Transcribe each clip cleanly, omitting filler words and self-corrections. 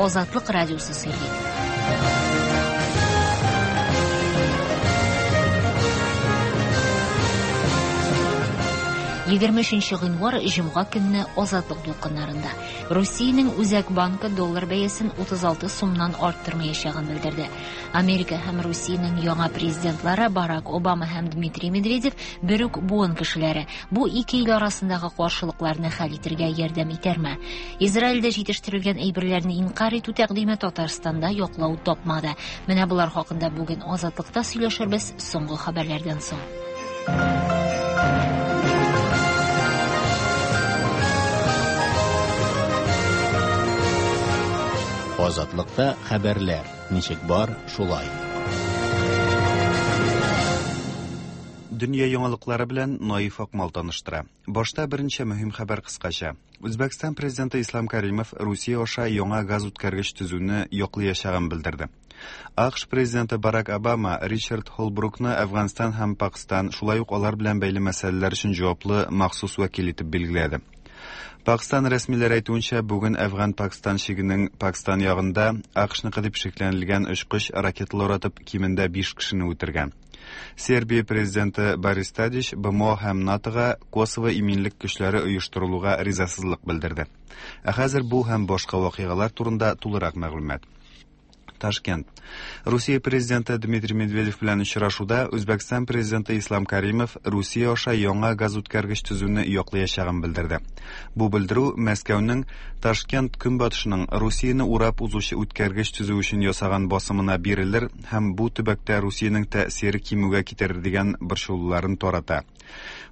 Азатлык радиосы сөйли. 23 гыйнвар җомга көнне Азатлык дулкыннарында. Русиянең Үзәк банкы доллар бәясен 36 сумнан арттырмаячагын белдерде. Америка һәм Русиянең яңа президентлары Барак Обама һәм Дмитрий Медведев бер үк буын кешеләре. Бу ике ил арасындагы каршылыкларны хәл итергә ярдәм итәрме? Израильдә җитештерелгән әйберләрне инкарь итү тәкъдиме Татарстанда яклау тапмады. Менә болар хакында бүген Азатлыкта сөйләшербез соңгы хәбәрләрдән соң. Азатлыкта хәбәрләр ничек бар, шулай. Дөнья яңалыклары белән Наиф Акмал таныштыра. Башта берничә мөһим хәбәр кыскача. Үзбәкстан президенты Ислам Каримов Русия аша яңа газ үткәргеч төзүне яклыячагын белдерде. АКШ президенты Барак Обама Ричард Холбрукны Әфганстан һәм Пакстан, шулай ук алар белән бәйле мәсьәләләр өчен җаваплы махсус вәкил итеп билгеләде. Пакстан рәсмиләре әйтүенчә, бүген Әфган-Пакстан чигенең Пакстан ягында АКШныкы дип шикләнелгән очкыч ракеталар атып кимендә 5 кешене үтергән. Сербия президенты Борис Тадич БМО һәм НАТОга Косово иминлек көчләре оештырылуга ризасызлык белдерде. Ә хәзер бу һәм башка вакыйгалар турында тулырак мәгълүмат. Ташкент. Русия президенты Дмитрий Медведев белән очрашуда Үзбәкстан президенты Ислам Каримов Русия аша яңа газ үткәргеч төзүне яклыячагын белдерде. Бу белдерү Мәскәүнең Ташкент көнбатышының Русияне урап узучы үткәргеч төзү өчен ясаган басымына бирелер һәм бу төбәктә Русиянең тәэсире кимүгә китерер дигән борчылуларын тарата.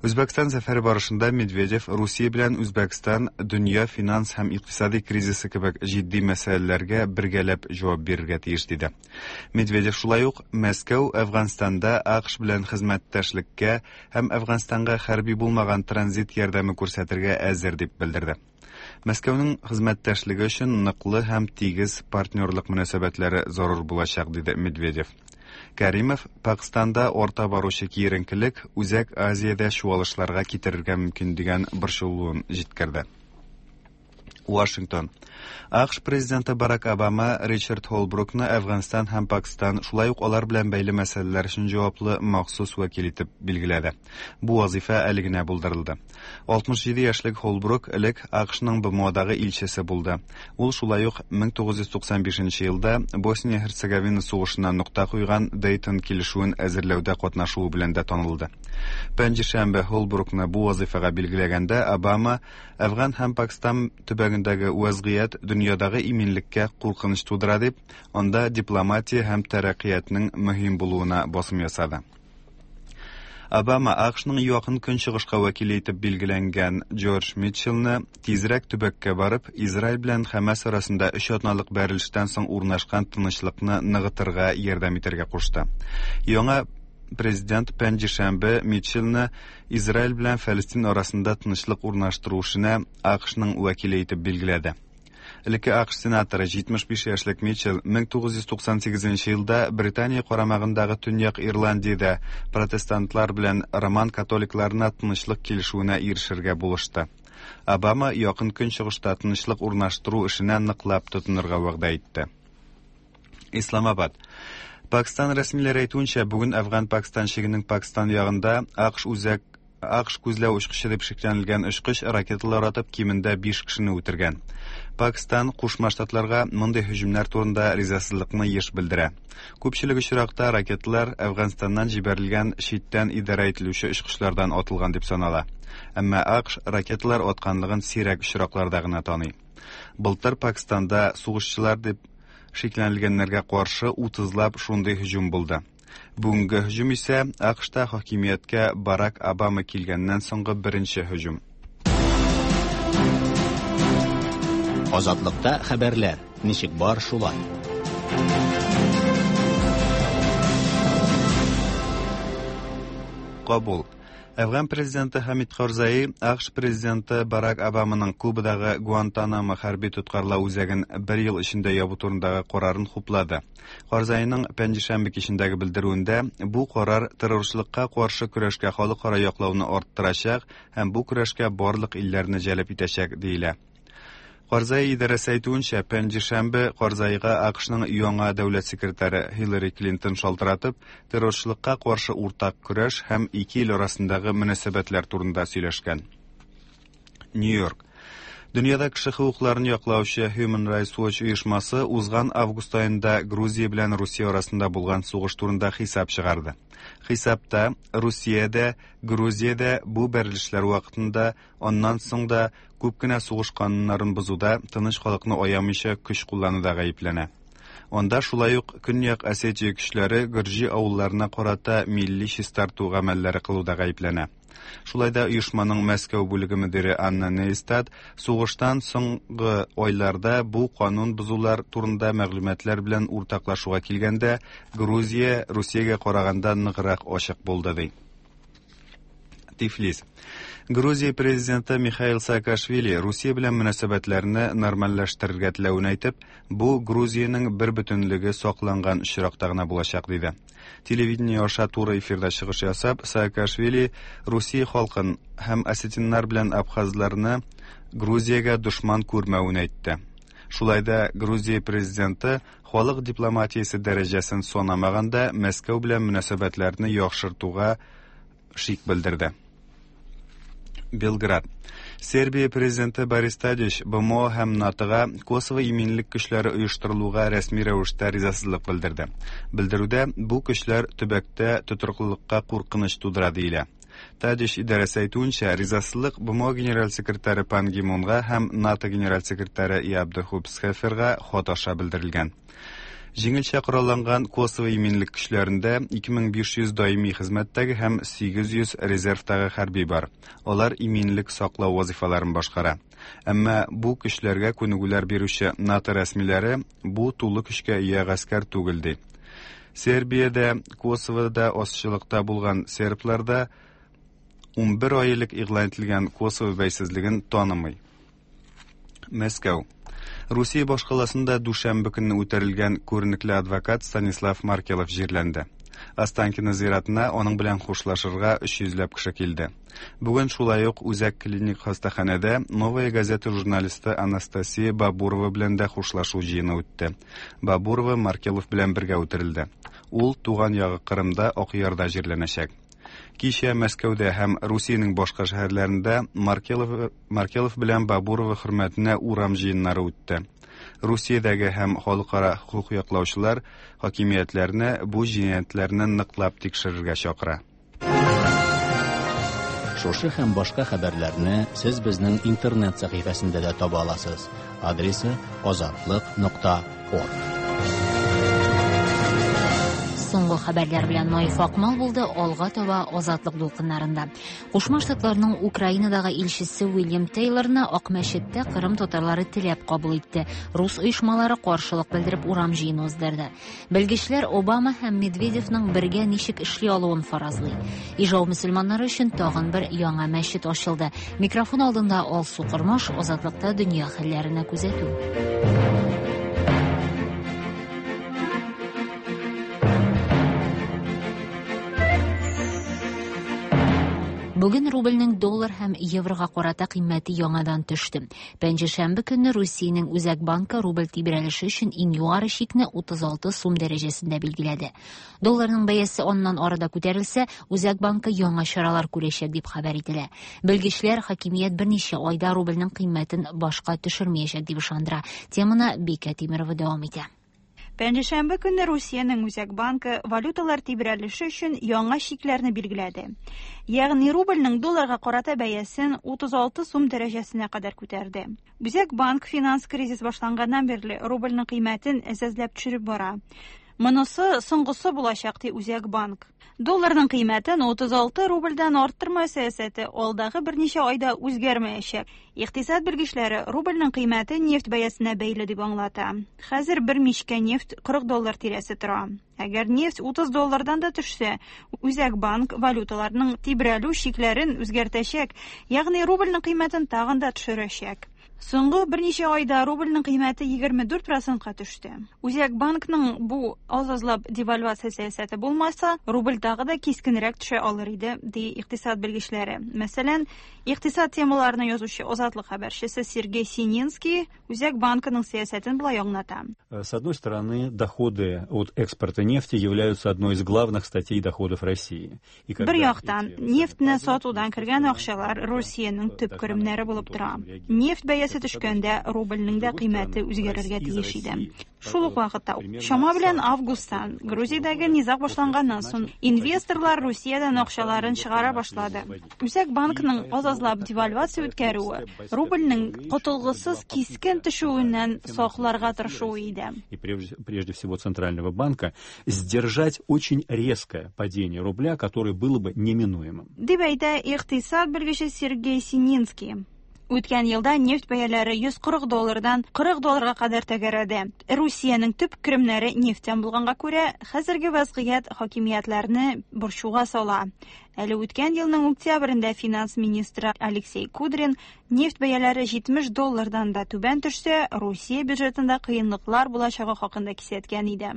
Үзбәкстан сәфәре барышында Медведев Русия белән Үзбәкстан дөнья финанс һәм икътисади кризисы кебек җитди мәсьәләләргә бергәләп җавап бирергә тиеш диде. Медведев шулай ук Мәскәү Әфганстанда АКШ белән хезмәттәшлеккә һәм Әфганстанга хәрби булмаган транзит ярдәме күрсәтергә әзер дип белдерде. Мәскәүнең хезмәттәшлеге өчен ныклы һәм тигез партнерлык мөнәсәбәтләре зарур булачак, диде Медведев. Кәримов Пакстанда арта баручы киеренкелек Үзәк Азиядә чуалышларга китерергә мөмкин дигән борчылуын җиткерде. Вашингтон. АКШ президенты Барак Обама Ричард Холбрукны Әфганстан һәм Пакстан, шулай ук алар белән бәйле мәсьәләләр өчен җаваплы махсус вәкил итеп билгеләде. Бу вазыйфа әле генә булдырылды. 67 яшьлек Холбрук элек АКШның БМОдагы илчесе булды. Ул шулай ук 1995 елда Босния-Һерцеговина сугышына нокта куйган Дейтон килешүен әзерләүдә катнашуы белән дә танылды. Пәнҗешәмбе Холбрукны бу вазыйфага билгеләгәндә Обама Әфган һәм Пакстан төбәгендәге вәзгыять дөньядагы иминлеккә куркыныч тудыра дип, анда дипломатия һәм тәрәккыятьнең мөһим булуына басым ясады. Обама АКШның Якын Көнчыгышка вәкиле итеп билгеләнгән Джордж Митчеллны тизрәк төбәккә барып, Израиль белән Хәмәс арасында өч атналык бәрелештән соң урнашкан тынычлыкны ныгытырга ярдәм итәргә кушты. Яңа президент пәнҗешәмбе Митчеллны Израиль белән Фәлестин арасында тынычлык урнаштыру эшенә АКШның вәкиле итеп билгеләде. Элекке АКШ сенаторы 75 яшьлек Митчелл 1998 елда Британия карамагындагы Төньяк Ирландиядә протестантлар белән роман католикларына тынычлык килешүенә ирешергә булышты. Обама Якын Көнчыгышта тынычлык урнаштыру эшенә ныклап тотынырга вәгъдә итте. Исламабад. Пакстан рәсмиләре әйтүенчә, бүген Әфган-Пакстан чигенең Пакстан ягында АКШ үзәк АКШ күзләү очкычы дип шикләнелгән очкыч ракеталар атып кимендә 5 кешене үтергән. Пакстан Кушма Штатларга мондый һөҗүмнәр турында ризасызлыкны еш белдерә. Күпчелек очракта ракеталар Әфганстаннан җибәрелгән читтән идарә ителүче очкычлардан атылган дип санала. Әмма АКШ ракеталар атканлыгын сирәк очракларда гына таный. Былтыр Пакстанда сугышчылар дип шикләнелгәннәргә каршы 30лап шундый һөҗүм булды. Бүгенге һөҗүм исә АКШта хакимияткә Барак Обама килгәннән соңгы беренче һөҗүм. Азатлыкта хәбәрләр ничек бар шулай. Кабул. Әфган президенты Хамид Карзаи АКШ президенты Барак Обаманың Кубадагы Гуантанамо хәрби тоткарлау үзәген бер ел эчендә ябу турындагы карарын хуплады. Карзаиның пәнҗешәмбе кичендәге белдерүендә бу карар террорчылыкка каршы көрәшкә халыкара яклауны арттырачак һәм бу көрәшкә барлык илләрне җәлеп итәчәк диелә. Карзай идарәсе әйтүенчә, пәнҗешәмбе Карзайга АКШның яңа дәүләт секретаре Хиллари Клинтон шалтыратып, террорчылыкка каршы уртак көрәш һәм ике ил арасындагы мөнәсәбәтләр турында сөйләшкән. Нью-Йорк. Дөньяда кеше хокукларын яклаучы Human Rights Watch оешмасы узган август аенда Грузия белән Русия арасында булган сугыш турында хисап чыгарды. Хисапта Русиядә, Грузиядә бу бәрелешләр вакытында, аннан соң да күп кенә сугыш кануннарын бозуда, тыныч халыкны аямыйча көч куллануда гаепләнә. Анда шулай ук Көньяк Осетия көчләре гөрҗи авылларына карата милли чистарту гамәлләре кылуда гаепләнә. Шулай да оешманың Мәскәү бүлеге мөдире Анна Нейстат сугыштан соңгы айларда бу канун бозулар турында мәгълүматлар белән уртаклашуга килгәндә, Грузия Русиягә караганда ныграк ачык булды ди. Тифлис. Грузия президенты Михаил Саакашвили Русия белән мөнәсәбәтләрне нормальләштерергә теләвен әйтеп, бу Грузиянең бер бөтенлеге сакланган очракта гына булачак диде. Телевидение аша туры эфирда чыгыш ясап, Саакашвили Русия халкын һәм осетиннар белән абхазларны Грузиягә дошман күрмәвен әйтте. Шулай да Грузия президенты халык дипломатиясе дәрәҗәсен санамаганда Мәскәү белән мөнәсәбәтләрне яхшыртуга шик белдерде. Белград. Сербия президенты Борис Тадич БМО һәм НАТОга Косово иминлек көчләре оештырылуга рәсми рәвештә ризасызлык белдерде. Белдерүдә бу көчләр төбәктә тотрыклылыкка куркыныч тудыра диелә. Тадич идарәсе әйтүенчә, ризасызлык БМО генераль секретаре Пан Ги Мунга һәм НАТО генераль секретаре Яб де Хуп Схеферга хат аша белдерелгән. Җиңелчә коралланган Косово иминлек көчләрендә 2500 даими хезмәттәге һәм 800 резервтагы хәрби бар. Алар иминлек саклау вазифаларын башкара. Әмма бу көчләргә күнегүләр бирүче НАТО рәсмиләре бу тулы көчкә ия гаскәр түгел ди. Сербиядә, Косовода азчылыкта булган серблар да 11 ай элек игълан ителгән Косово бәйсезлеген танымый. Мәскәү. Русия башкаласында дүшәмбе көнне үтерелгән күренекле адвокат Станислав Маркелов җирләнде. Останкино зиратына аның белән хушлашырга 300 ләп кеше килде. Бүген шулай ук үзәк клиник хастаханәдә Новая газета журналисты Анастасия Бабурова белән дә хушлашу җыены үтте. Бабурова Маркелов белән бергә үтерелде. Ул туган ягы Кырымда Акъярда җирләнәчәк. Кичә Мәскәүдә һәм Русиянең башка шәһәрләрендә Маркелов, Маркелов белән Бабурова хөрмәтенә урам җыеннары үтте. Русиядәге һәм халыкара хокук яклаучылар хакимиятләрне бу җинаятьләрне ныклап тикшерергә чакыра. Шушы һәм башка хәбәрләрне сез безнең интернет сәхифәсендә дә таба аласыз. Адресы азатлык.орг. Соңгы хәбәрләр белән Наиф Акмал булды, алга таба Азатлык дулкыннарында. Кушма Штатларның Украинадагы илчесе Уильям Тейлорны Акмәчеттә Кырым татарлары теләп кабул итте. Рус оешмалары каршылык белдереп урам җыены уздырды. Белгечләр Обама һәм Медведевның бергә ничек эшли алуын фаразлый. Ижау мөселманнары өчен тагын бер яңа мәчет ачылды. Микрофон алдында Алсу Кормаш, Азатлыкта дөнья хәлләренә күзәтү. Бүген рубльнең доллар һәм еврога карата кыйммәте яңадан төште. Пәнҗешәмбе көнне Русиянең Үзәк банкы рубль тибрәлеше өчен иң югары чикне 36 сум дәрәҗәсендә билгеләде. Долларның бәясе аннан ары да күтәрелсә, Үзәк банкы яңа чаралар күрәчәк дип хәбәр ителә. Белгечләр хакимият берничә айда рубльнең кыйммәтен башка төшермәячәк дип ышандыра. Теманы Бикә Тимирова дәвам итә. Пәнҗешәмбе көнне Русиянең Үзәк банкы валюталар тибрәлеше өчен яңа чикләрне билгеләде. Ягъни рубльнең долларга карата бәясен 36 сум дәрәҗәсенә кадәр күтәрде. Үзәк банк финанс кризис башланганнан бирле рубльнең кыйммәтен әзәзләп төшереп бара. Монысы соңгысы булачак, ди Үзәк банк. Долларның кыйммәтен 36 рубльдән арттырма сәясәте алдагы берничә айда үзгәрмәячәк. Икътисад белгечләре рубльнең кыйммәте нефть бәясенә бәйле дип аңлата. Хәзер бер мичкә нефть 40 доллар тирәсе тора. Әгәр нефть 30 доллардан да төшсә, Үзәк банк валюталарның тибрәлү чикләрен үзгәртәчәк, ягъни рубльнең кыйммәтен тагын да төшерәчәк. Соңгы берничә айда рубльнең кыйммәте 24 процентка төште. Үзәк банкның бу аз-азлап девальвация сәясәте булмаса, рубль тагы да кискенрәк төшә алыр иде, ди икътисад белгечләре. Мәсәлән, икътисад темаларына язучы Азатлык хәбәрчесе Сергей Сининский Үзәк банкының сәясәтен болай аңлата. С одной стороны, доходы от экспорта нефти являются одной из главных статей доходов России. Бер яктан, нефтьне сатудан кергән акчалар Русиянең төп керемнәре булып тора. Нефть бәясе төшкәндә рубльнең дә кыйммәте үзгәрергә тиеш иде. Шул ук вакытта, чама белән августтан, Грузиядәге низаг башланганнан соң, инвесторлар Русиядән акчаларын чыгара башлады. Үзәк банкның аз-азлап девальвация үткәрүе рубльнең котылгысыз кискен төшүеннән сакларга тырышуы иде. И прежде всего Центрального банка сдержать очень резкое падение рубля, которое было бы неминуемым. Дип әйтә икътисад белгече Сергей Сининский. Үткән елда нефть бәяләре 140 доллардан 40 долларга кадәр тәгәрәде. Русиянең төп керемнәре нефтьтән булганга күрә, хәзерге вазгыять хакимиятләрне борчуга сала. Әле үткән елның октябрендә финанс министры Алексей Кудрин нефть бәяләре 70 доллардан да түбән төшсә, Русия бюджетында кыенлыклар булачагы хакында кисәткән иде.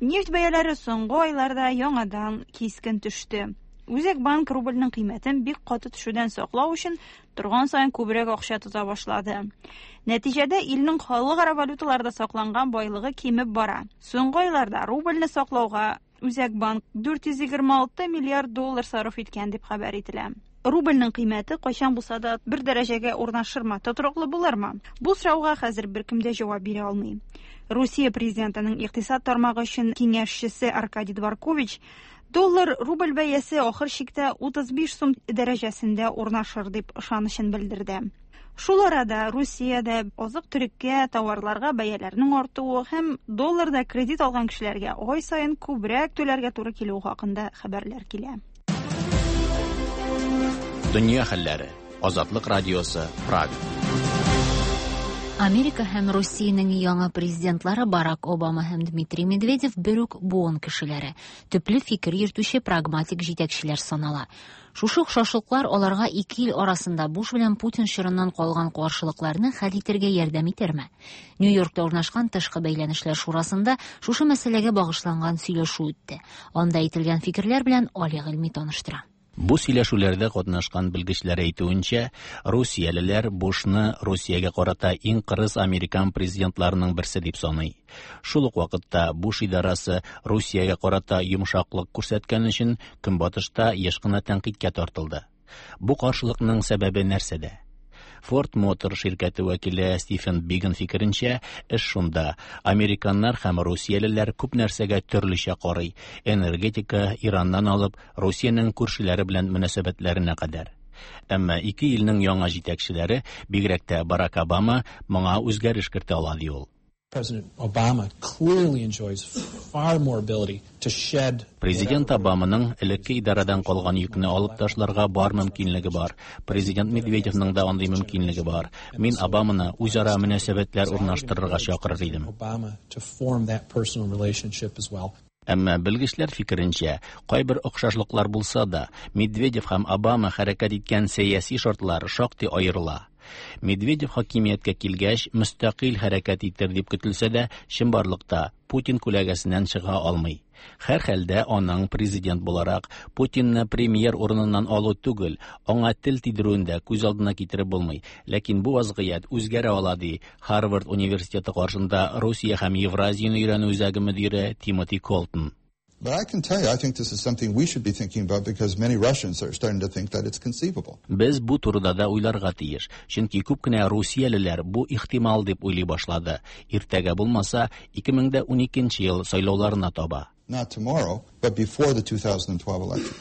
Нефть бәяләре соңгы айларда яңадан кискен төште. Үзәк банк рубльнең кыйммәтен бик каты төшүдән саклау өчен торган саен күбрәк акча тота башлады. Нәтиҗәдә илнең халыкара валюталарда сакланган байлыгы кимеп бара. Соңгы айларда рубльне саклауга Үзәк банк 426 миллиард доллар сарыф иткән дип хәбәр ителә. Рубльнең кыйммәте кайчан булса да бер дәрәҗәгә урнашырмы, тотрыклы булырмы? Бу сорауга хәзер беркем дә җавап бирә алмый. Русия президентының икътисад тармагы өчен киңәшчесе Аркадий Дворкович доллар рубль бәясе ахыр чиктә 35 сум дәрәҗәсендә урнашыр дип ышанычын белдерде. Шул арада Русиядә азык-төлеккә, товарларга бәяләрнең артуы һәм долларда кредит алган кешеләргә ай саен күбрәк түләргә туры килүе хакында хәбәрләр килә. Дөнья хәлләре. Азатлык радиосы, Прага. Америка һәм Русиянең яңа президентлары Барак Обама һәм Дмитрий Медведев бер үк буын кешеләре, төпле фикер йөртүче прагматик җитәкчеләр санала. Шушы охшашлыклар аларга ике ил арасында Буш белән Путин чорыннан калган каршылыкларны хәл итәргә ярдәм итәрме? Нью-Йоркта урнашкан тышкы бәйләнешләр шурасында шушы мәсьәләгә багышланган сөйләшү үтте. Анда әйтелгән фикерләр белән Али Гыйльми таныштыра. Бу сөйләшүләрдә катнашкан белгечләр әйтүенчә, русиялеләр Бушны Русиягә карата иң кырыс американ президентларының берсе дип саный. Шул ук вакытта Буш идарасы Русиягә карата йомшаклык күрсәткән өчен Көнбатышта еш кына тәнкыйтькә тартылды. Бу каршылыкның сәбәбе нәрсәдә? Ford Motor ширкәте вәкиле Стивен Биган фикеренчә, эш шунда: американнар һәм русиялеләр күп нәрсәгә төрлечә карый. Энергетика, Ираннан алып, Русиянең күршеләре белән мөнәсәбәтләренә кадәр. Әмма ике илнең яңа җитәкчеләре, бигрәк тә Барак Обама, моңа үзгәреш кертә ала, ди ул. President Obama clearly enjoys far more ability to shed. Президент Обаманың элекке идарәдән калган йөкне алып ташларга бар мөмкинлеге бар. Президент Медведевның да андый мөмкинлеге бар. Мин Обаманы үзара мөнәсәбәтләр урнаштырырга чакырыр идем. Obama to form that personal relationship as well. Әмма белгечләр фикеренчә, кайбер охшашлыклар булса да, Медведев һәм Обама хәрәкәт иткән сәяси шартлар шактый аерыла. Медведев хакимияткә килгәч, мөстәкыйль хәрәкәт итер дип көтелсә дә, чынбарлыкта Путин күләгәсеннән чыга алмый. Һәр хәлдә аның президент буларак Путинны премьер урыныннан алу түгел, аңа тел тидерүен дә күз алдына китереп булмый. Ләкин бу вазгыять үзгәрә ала, ди Харвард университеты каршында Русия һәм Евразияне өйрәнү үзәге мөдире Тимоти Колтон. But I can tell you, I think this is something we should be thinking about because many Russians are starting to think that it's conceivable. Без бу турыда да уйларга тиеш, чөнки күп кенә русиялеләр бу ихтимал дип уйлый башлады. Иртәгә булмаса, 2012 ел сайлауларына таба. Not tomorrow, but before the 2012 election.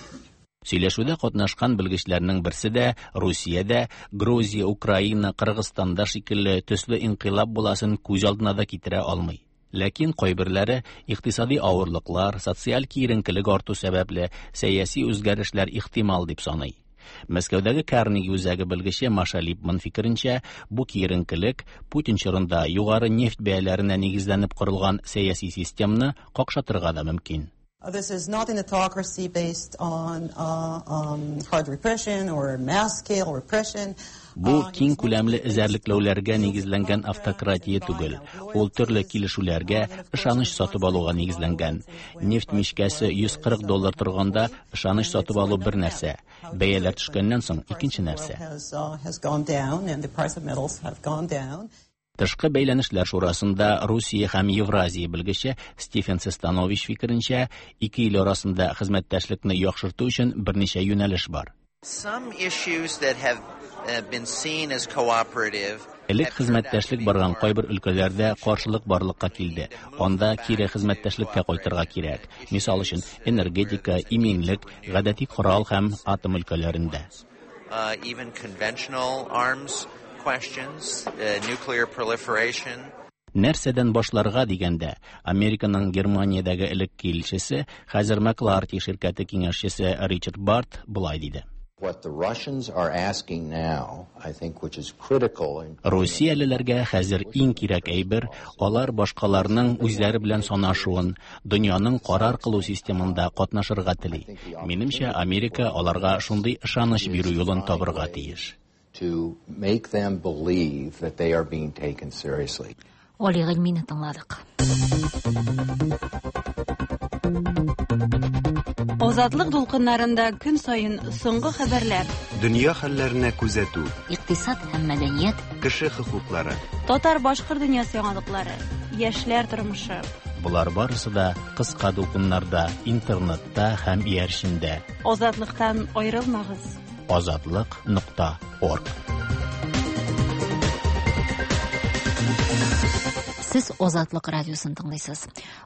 Сөйләшүдә катнашкан белгечләрнең берсе дә Русиядә, Грузия, Украина, Кыргызстанда шикелле төсле инкыйлаб буласын күз алдына да китерә алмый. Ләкин кайберләре икътисади авырлыклар, социаль киеренкелек арту сәбәпле сәяси үзгәрешләр ихтимал дип саный. Мәскәүдәге Карнеги үзәге белгече Маша Липман фикеренчә, бу киеренкелек Путин чорында югары нефть бәяләренә нигезләнеп корылган сәяси системаны какшатырга да мөмкин. This is not an autocracy based on hard repression or mass scale repression. Бу киң күләмле эзәрлекләүләргә нигезләнгән автократия түгел. Ул төрле килешүләргә, ышаныч сатып алуга нигезләнгән. Нефть мичкәсе 140 доллар торганда ышаныч сатып алу бер нәрсә, бәяләр төшкәннән соң икенче нәрсә. Тышкы бәйләнешләр шурасында Русия һәм Евразия белгече Стивен Сестанович фикеренчә, ике ил арасында хезмәттәшлекне яхшырту өчен берничә юнәлеш бар. Элек хезмәттәшлек барган кайбер өлкәләрдә каршылык барлыкка килде. Анда кире хезмәттәшлеккә кайтырга кирәк. Мисал өчен, энергетика, иминлек, гадәти корал һәм атом өлкәләрендә. Questions, nuclear proliferation. Нәрсәдән башларга дигәндә, Американың Германиядәге элекке илчесе, хәзер Макларти ширкәте киңәшчесе Ричард Барт болай диде. What the Russians are asking now, I think, which is critical in Русиялеләргә хәзер иң кирәк әйбер, алар башкаларның үзләре белән санашуын, дөньяның карар кылу системында катнашырга тели. Минемчә, Америка аларга шундый ышаныч бирү юлын табырга тиеш. To make them believe that they are being taken seriously. Али Гыйльмине тыңладык. Азатлык дулкыннарында көн саен соңгы хәбәрләр. Дөнья хәлләренә күзәтү. Икътисад һәм мәдәният. Кеше хокуклары. Татар-башкорт дөньясы яңалыклары. Яшьләр тормышы. Болар барысы да кыска дулкыннарда, интернетта һәм иярчендә. Азатлыктан аерылмагыз. Азатлык.орг. Сез Азатлык радиосын тыңлыйсыз.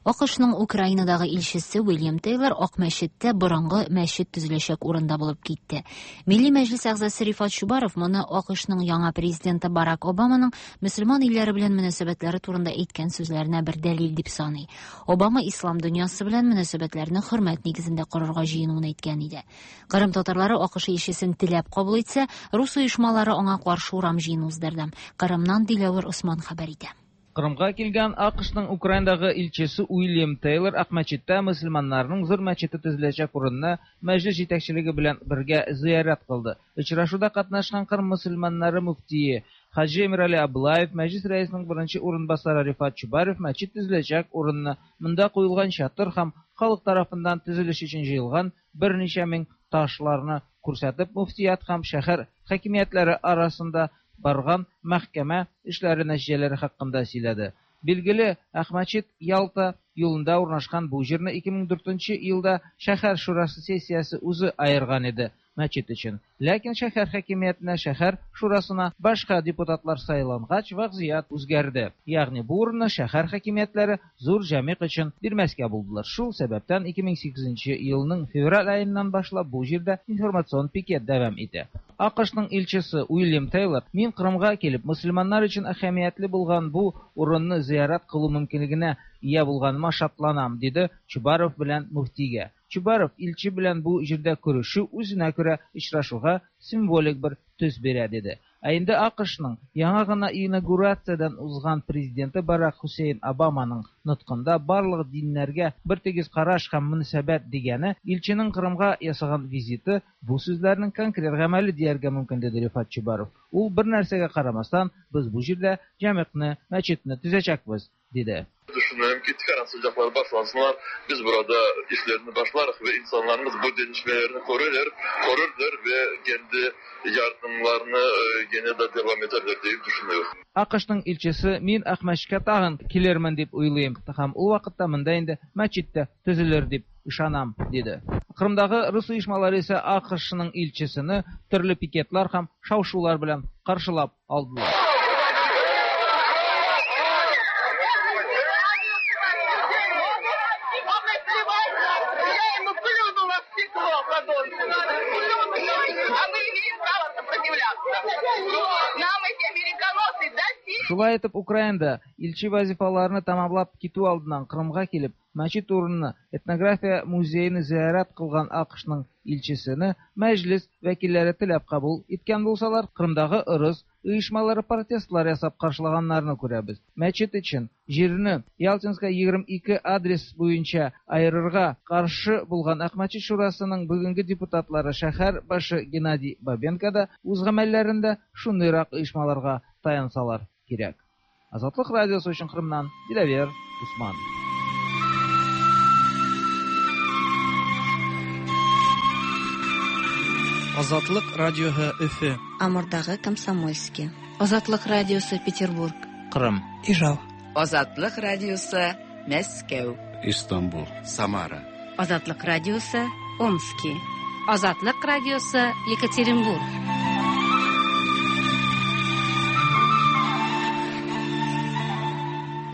АКШның Украинадагы илчесе Уильям Тейлор Ак мәчеттә борынгы мәчет төзеләчәк урында булып китте. Милли мәҗлес әгъзасы Рифат Чубаров моны АКШның яңа президенты Барак Обаманың мөселман илләре белән мөнәсәбәтләре турында әйткән сүзләренә бер дәлил дип саный. Обама ислам дөньясы белән мөнәсәбәтләрне хөрмәт нигезендә корырга җыенуын әйткән иде. Кырым татарлары АКШ илчесен теләп кабул итсә, рус оешмалары аңа каршы урам җыены уздырды. Кырымнан Диләвер Осман хәбәр итә. Кырымга килгән АКШның Украинадагы илчесе Уильям Тейлор Ак мәчеттә мөселманнарның зур мәчете төзеләчәк урынны мәҗлес җитәкчелеге белән бергә зиярәт кылды. Очрашуда катнашкан Кырым мөселманнары мөфтие Хаҗи Эмирали Аблаев, мәҗлес рәисенең беренче урынбасары Рифат Чубаров мәчет төзеләчәк урынны, монда куелган чатыр һәм халык тарафыннан төзелеш өчен җыелган берничә мең ташларны күрсәтеп, мөфтият һәм шәһәр хакимиятләре арасында барган мәхкәмә эшләре нәтиҗәләре хакында сөйләде. Билгеле, Ак мәчет Ялта юлында урнашкан бу җирне 2004 елда шәһәр шурасы сессиясе үзе аерган иде мәчет өчен. Ләкин шәһәр хакимиятенә, шәһәр шурасына башка депутатлар сайлангач, вазгыять үзгәрде. Ягъни бу урынны шәһәр хакимиятләре зур җәмгыять өчен бирмәскә булдылар. Шул сәбәптән 2008 елның февраль аеннан башлап бу җирдә информацион пикет дәвам итә. АКШның илчесе Уильям Тейлор, мин Кырымга килеп, мөселманнар өчен әһәмиятле булган бу урынны зиярат кылу мөмкинлегенә ия булганыма шатланам, диде Чубаров белән мөфтигә. Чубаров илче белән бу җирдә күрешү үзенә күрә очрашуга символик бер төс бирә, диде. Ә инде АКШның яңа гына инаугурациядән узган президенты Барак Хусейн Обаманың ноткында барлык диннәргә бер тигез караш һәм мөнәсәбәт дигәне илченең Кырымга ясаган визиты бу сүзләрнең конкрет гамәле дияргә мөмкин, диде Рифат Чубаров. Ул бер нәрсәгә карамастан, без бу җирдә җәмгыятьне, мәчетне төзәчәкбез, диде. Düşünüyorum ki tıkansızcaklar başlansınlar. Biz burada işlerini başlarız ve insanlarımız bu gelişmelerini korurlar ve kendi yardımlarını gene de devam ederler diye düşünüyorum. АКШның илчесе мин Ак мәчеткә тагын килермен дип уйлыйм. Һәм ул вакытта монда инде мәчет тә төзелер дип ышанам, диде. Кырымдагы рус оешмалары исә АКШның илчесен төрле пикетлар һәм шау-шулар белән каршылап алдылар. Шулай итеп, Украинада илче вазифаларны тәмамлап китү алдыннан Кырымга килеп, мәчет урынына этнография музеен зиярәт кылган АКШның илчесене Мәҗлес вәкилләре теләп кабул иткән булсалар, Кырымдагы ырыс оешмалары протестлар ясап каршылаганнарны күрәбез. Мәчет өчен җирне Ялтинская 22 адрес буенча аерырга каршы булган Акмәчет шурасының бүгенге депутатлары шәһәр башы Геннадий Бабенко да үз гамәлләрендә шундыйрак оешмаларга таянсалар кирәк. Азатлык радиосы өчен Кырымнан Диләвер Усман. Азатлык радиоһы Өфе. Амурдагы Комсомольский. Азатлык радиосы Петербург. Кырым. Ижау. Азатлык радиосы Мәскәү. Истанбул. Самара. Азатлык радиосы Омски. Азатлык радиосы Екатеринбург.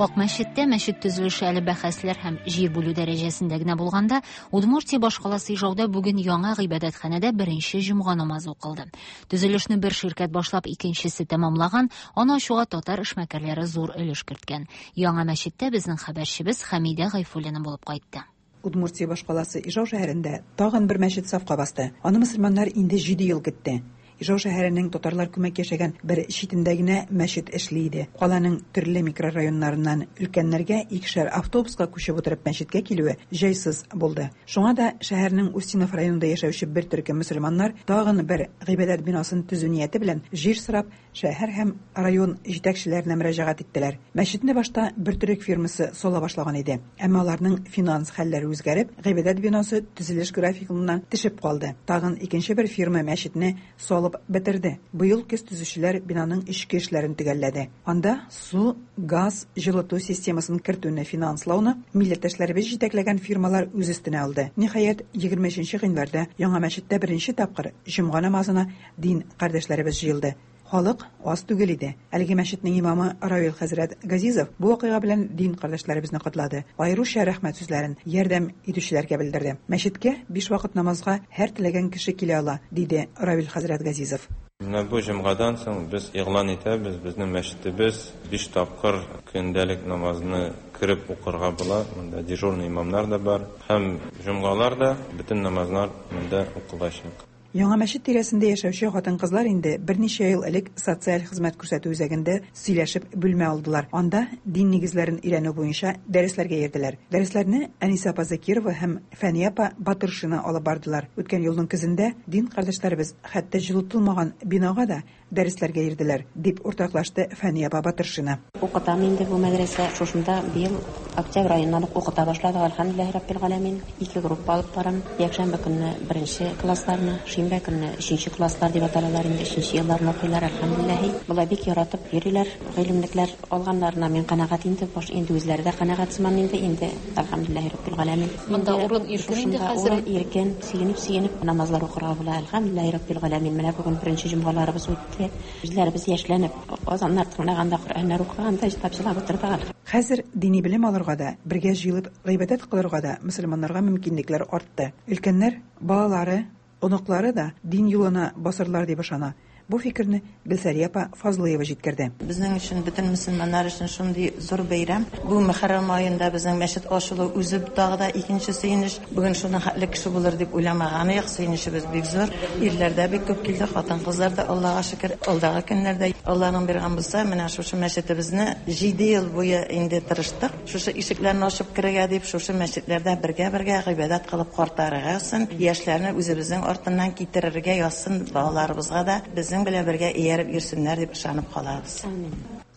Акмәчеттә мәчет төзелеше әле бәхәсләр һәм җир бүлү дәрәҗәсендә генә булганда, Удмуртия башкаласы Ижауда бүген яңа гыйбадәтханәдә беренче җомга намазы укылды. Төзелешне бер ширкәт башлап, икенчесе тәмамлаган, аны ачуга татар эшмәкәрләре зур өлеш керткән. Яңа мәчеттә безнең хәбәрчебез Хәмидә Гайфуллина булып кайтты. Удмуртия башкаласы Ижау шәһәрендә тагын бер мәчет сафка басты. Аны мөселманнар инде 7 ел көтте. Ижау шәһәренең татарлар күмәк яшәгән бер читендә генә мәчет эшли иде. Каланың төрле микрорайоннарыннан өлкәннәргә икешәр автобуска күчеп утырып мәчеткә килүе җайсыз булды. Шуңа да шәһәрнең Устинов районында яшәүче бер төркем мөселманнар тагын бер гыйбадәт бинасын төзү нияте белән җир сорап шәһәр һәм район җитәкчеләренә мөрәҗәгать иттеләр. Мәчетне башта бер төрек фирмасы сала башлаган иде. Әмма аларның финанс хәлләре үзгәреп, гыйбадәт бинасы төзелеш графигыннан төшеп калды. Тагын икенче бер фирма мәчетне салып бетерде. Быел көз төзүчеләр бинаның эчке эшләрен төгәлләде. Анда су, газ, җылыту системасын кертүне финанслауны милләттәшләребез җитәкләгән фирмалар үз өстенә алды. Ниһаять, 23 гыйнварда яңа мәчеттә беренче тапкыр җомга намазына дин кардәшләребез җыелды. Халык аз түгел иде. Әлеге мәчетнең имамы Равил хәзрәт Газизов бу вакыйга белән дин кардәшләребезне котлады. Аеруча рәхмәт сүзләрен ярдәм итүчеләргә белдерде. Мәчеткә 5 вакыт намазга һәр теләгән кеше килә ала, диде Равил хәзрәт Газизов. Менә бу җомгадан соң без игълан итәбез, безнең мәчетебез 5 тапкыр көндәлек намазны кереп укырга була. Монда дежурный имамнар да бар. Һәм җомгалар да бөтен намазлар монда укылачак. Яңа мәчет тирәсендә яшәүче хатын-кызлар инде берничә ел элек социаль хезмәт күрсәтү үзәгендә сөйләшеп бүлмә алдылар. Анда дин нигезләрен өйрәнү буенча дәресләргә йөрделәр. Дәресләрне Әнисә апа Закирова һәм Фәния апа Батыршина алып бардылар. Үткән елның көзендә дин кардәшләребез хәтта җылытылмаган бинага да дәресләргә йөрделәр, дип уртаклашты Фәния апа Батыршина. Укытам инде бу мәдрәсә. Шушында быел октябрь аеннан ук укыта башладык, әлхәмдүлилләһи раббил галәмин. 2 группа алып барам. Якшәмбе көнне беренче классларны, шимбә көнне өченче класслар дип аталалар инде, өченче елларны укыйлар, әлхәмдүлилләһи. Болай бик яратып йөриләр. Гыйлемлекләр алганнарына мин канәгать инде, баш инде үзләре дә канәгать сыман инде, инде әлхәмдүлилләһи раббил галәмин. Монда урын иркен инде хәзер. Урын иркен, сөенеп-сөенеп намазлар укырга була, әлхәмдүлилләһи раббил галәмин. Менә бүген беренче җомгаларыбыз үтте. Үзләребез яшьләнеп, азаннар тыңлаганда, Коръәннәр укыганда җылап утырдык. Хәзер дини белем алырга да, бергә җыелып гыйбадәт кылырга да мөселманнарга мөмкинлекләр артты. Өлкәннәр, балалары, оныклары да дин юлына басырлар дип ышана. Бу фикерне Гөлсәрия апа Фазлыева җиткерде. Безнең өчен, бөтен мөселманнар өчен шундый зур бәйрәм. Бу Мөхәррәм аенда безнең мәчет ачылу үзе тагы да икенче сөенеч. Бүген шуның хәтле кеше булыр дип уйламаган идек. Сөенечебез бик зур. Ирләр дә бик күп килде, хатын-кызлар да, Аллага шөкер, алдагы көннәрдә Алланың биргән булса, менә шушы мәчетебезне 7 ел буе инде тырыштык. Шушы ишекләрне ачып керергә дип, шушы мәчетләрдә бергә-бергә гыйбадәт кылып картарырга язсын, яшьләрне үзебезнең артыннан китерергә язсын, балаларыбызга да безнең белән бергә ияреп йөрсеннәр дип ышанып калабыз.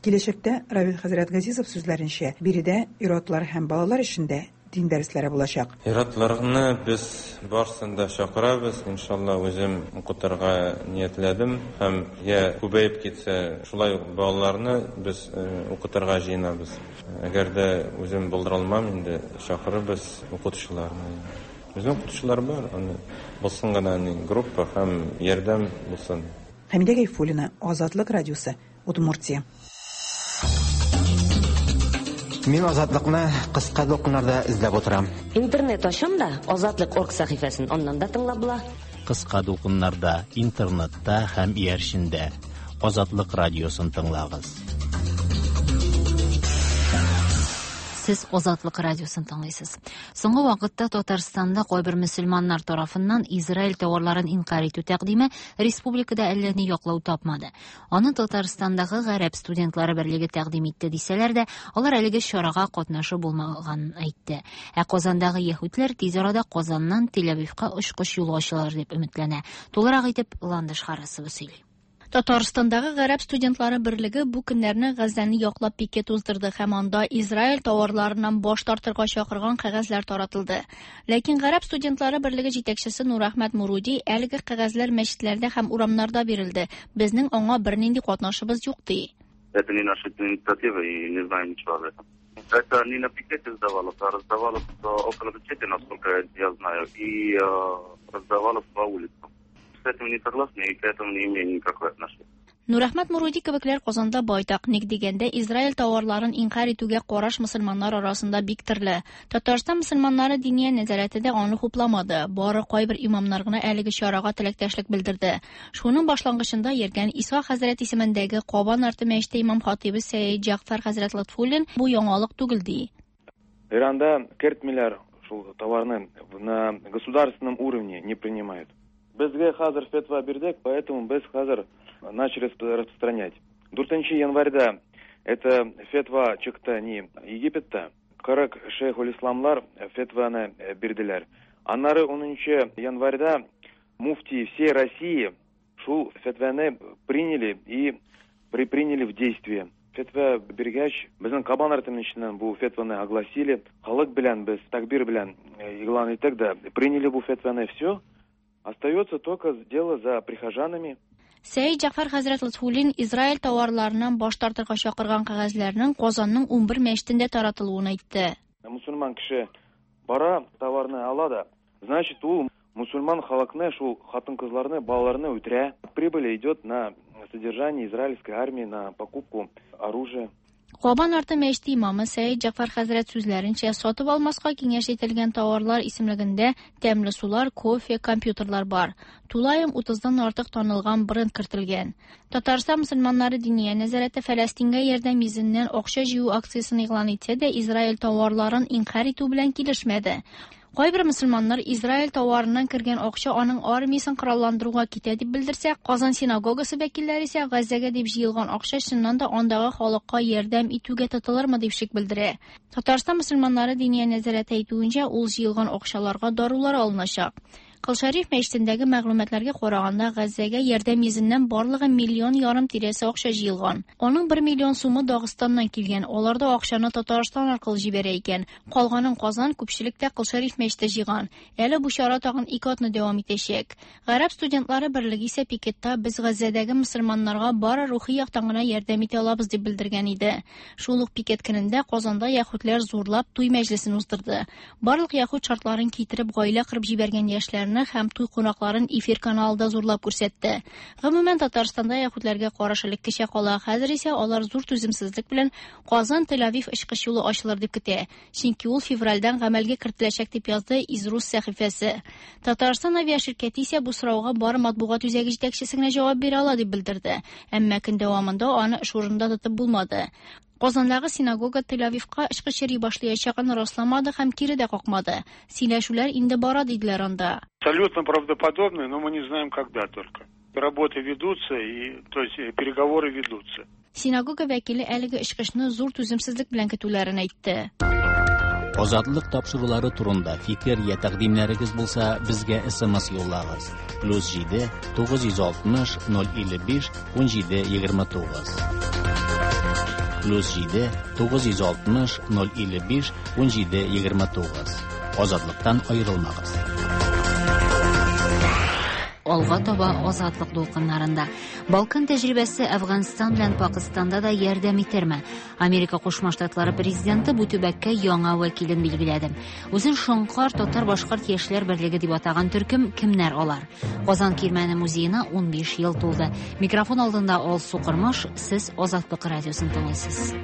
Киләчәктә Равил хәзрәт Газизов сүзләренчә, биредә ир-атлар һәм балалар өчен дә дин дәресләре булачак. Ир-атларны без барсын да чакырабыз, иншалла, үзем укытырга ниятләдем һәм я күбәеп китсә, шулай ук балаларны без укытырга җыенабыз. Әгәр дә үзем булдыра алмам, инде чакырырбыз укытучыларны. Безнең укытучылар бар, аны булсын гына группа һәм ярдәм булсын. Хәмидә Гайфуллина, Азатлык радиосы, Удмуртия. Мин Азатлыкны кыска дулкыннарда эзләп утырам. Интернет ачам да, Азатлык.орг сәхифәсен аннан да тыңлап була. Кыска дулкыннарда, интернетта һәм иярчендә Азатлык радиосын тыңлагыз. Сез Азатлык радиосын тыңлыйсыз. Соңгы вакытта Татарстанда кайбер мөселманнар тарафыннан Израиль товарларын инкарь итү тәкъдиме республикада әллә ни яклау тапмады. Аны Татарстандагы гарәп студентлары берлеге тәкъдим итте дисәләр дә, алар әлеге чарага катнашы булмаганын әйтте. Ә Казандагы яһүдләр тиз арада Казаннан Тель-Авивка очкыч юлы ачылыр дип өметләнә. Тулырак итеп Ландыш Харасова сөйли. Татарстандагы гарәп студентлары берлеге бу көннәрне Газзәне яклап пикет уздырды һәм анда Израиль товарларыннан баш тартырга чакырган кәгазьләр таратылды. Ләкин гарәп студентлары берлеге җитәкчесе Нурәхмәт Муруди әлеге кәгазьләр мәчетләрдә һәм урамнарда бирелде, безнең аңа бернинди катнашыбыз юк, ди. Это не наша инициатива и не знаем ничего об этом. Это не на пикете раздавалось, а раздавалось около мечети, насколько я знаю, и раздавалось по улицам. С этим не согласны и к этому не имеем никакого отношения. Нурәхмәт Муруди кебекләр Казанда байтак. Ник дигәндә, Израиль товарларын инкарь итүгә караш мөселманнар арасында бик төрле. Татарстан мөселманнары Диния нәзарәте дә аны хупламады. Бары кайбер имамнар гына әлеге чарага теләктәшлек белдерде. Шуның башлангычында йөргән Иса хәзрәт исемендәге Кабан арты мәчете имам-хатыйбы Сәет Җәгъфәр хәзрәт Лотфуллин бу яңалык түгел ди. Иранда кертмиләр шул товарны, на государственном уровне не принимают. Безгә хәзер фетва бирдек, поэтому без хәзер начали распространять. 4 январьда это фетва чыкты не Египетта. 40 шейхуль-исламлар фетваны бирделәр. Аннары 10 январьда муфти всей России шул фетваны приняли и приняли в действие. Фетва биргәч, безнең Кабан арты мәчетеннән бу фетваны огласили. Халык белән без такбир белән игълан иттек дә, приняли бу фетваны, все. Остается только дело за прихожанами. Сәет Җәгъфәр хәзрәт Лотфуллин Израиль товарларыннан баш тартырга чакырган кәгазьләрнең Казанның 11 мәчетендә таратылуын әйтте. Мусульман кеше бара, товарны ала да, значит, ул мусульман халыкны, шул хатын-кызларны, балаларны үтерә. Прибыль идет на содержание израильской армии, на покупку оружия. Кабан арты мәчете имамы Сәет Җәгъфәр хәзрәт сүзләренчә, сатып алмаска киңәш ителгән товарлар исемлегендә тәмле сулар, кофе, компьютерлар бар. Тулаем 30-дан артык танылган бренд кертелгән. Татарстан мөселманнары Диния нәзарәте Фәләстингә ярдәм йөзеннән акча җыю акциясен игълан итсә дә, Израиль товарларын инкарь итү белән килешмәде. Кайбер мөселманнар Израиль товарыннан кергән акча аның армиясен коралландыруга китә дип белдерсә, Казан синагогасы вәкилләре исә Газзәгә дип җыелган акча чыннан да андагы халыкка ярдәм итүгә тотылырмы дип шик белдерә. Татарстан мөселманнары Диния нәзарәте әйтүенчә, ул җыелган акчаларга дарулар алыначак. Кол Шәриф мәчетендәге мәгълүматларга караганда, Газзәгә ярдәм йөзеннән барлыгы миллион ярым тирәсе акча җыелган. Аның 1 миллион сумы Дагыстаннан килгән. Алар да акчаны Татарстан аркылы җибәрә икән. Калганын Казан, күпчелектә Кол Шәриф мәчете җыйган. Әле бу чара тагын 2 атна дәвам итәчәк. Гарәп студентлары берлеге исә пикетта без Газзәдәге мөселманнарга бары рухи яктан гына ярдәм итә алабыз дип белдергән иде. Шул ук пикет көнендә Казанда яһүдләр зурлап туй мәҗлесен уздырды. Барлык яһүд шартларын китереп гаилә корып җибәргән яшьләрне һәм туй кунакларын эфир каналында зурлап күрсәтте. Гомумән, Татарстанда яһүдләргә караш элеккечә кала. Хәзер исә алар зур түземсезлек белән Казан Тель-Авив очкыч юлы ачылыр дип көтә. Чөнки ул февральдән гамәлгә кертеләчәк дип язды Изрус сәхифәсе. Татарстан авиаширкәте исә бу сорауга бары матбугат үзәге җитәкчесе генә җавап бирә ала дип белдерде. Әмма көн дәвамында аны эш урынында тотып булмады. Казандагы синагога Тель-Авивка очкыч йөри башлаячагын расламады һәм кире дә какмады. Сөйләшүләр инде бара диделәр анда. Абсолютно правдоподобно, но мы не знаем, когда только. Работы ведутся, и, то есть переговоры ведутся. Синагога вәкиле әлеге очкычны зур түземсезлек белән көтүләрен әйтте. Азатлык тапшырулары турында фикер я тәкъдимнәрегез булса, безгә SMS юллагыз. +7 960 055 17 29. +7 960 055 17 29. Азатлыктан аерылмагыз. Алга таба Азатлык дулкыннарында. Балкан тәҗрибәсе Әфганстан белән Пакистанда да ярдәм итерме? Америка Кушма Штатлары президенты бу төбәккә яңа вәкилен билгеләде. Үзен Шоңкар татар-башкорт яшьләр берлеге дип атаган төркем кемнәр алар? Казан Кирмәне музеена 15 ел тулды. Микрофон алдында Алсу Кормаш, сез Азатлык радиосын тыңлыйсыз.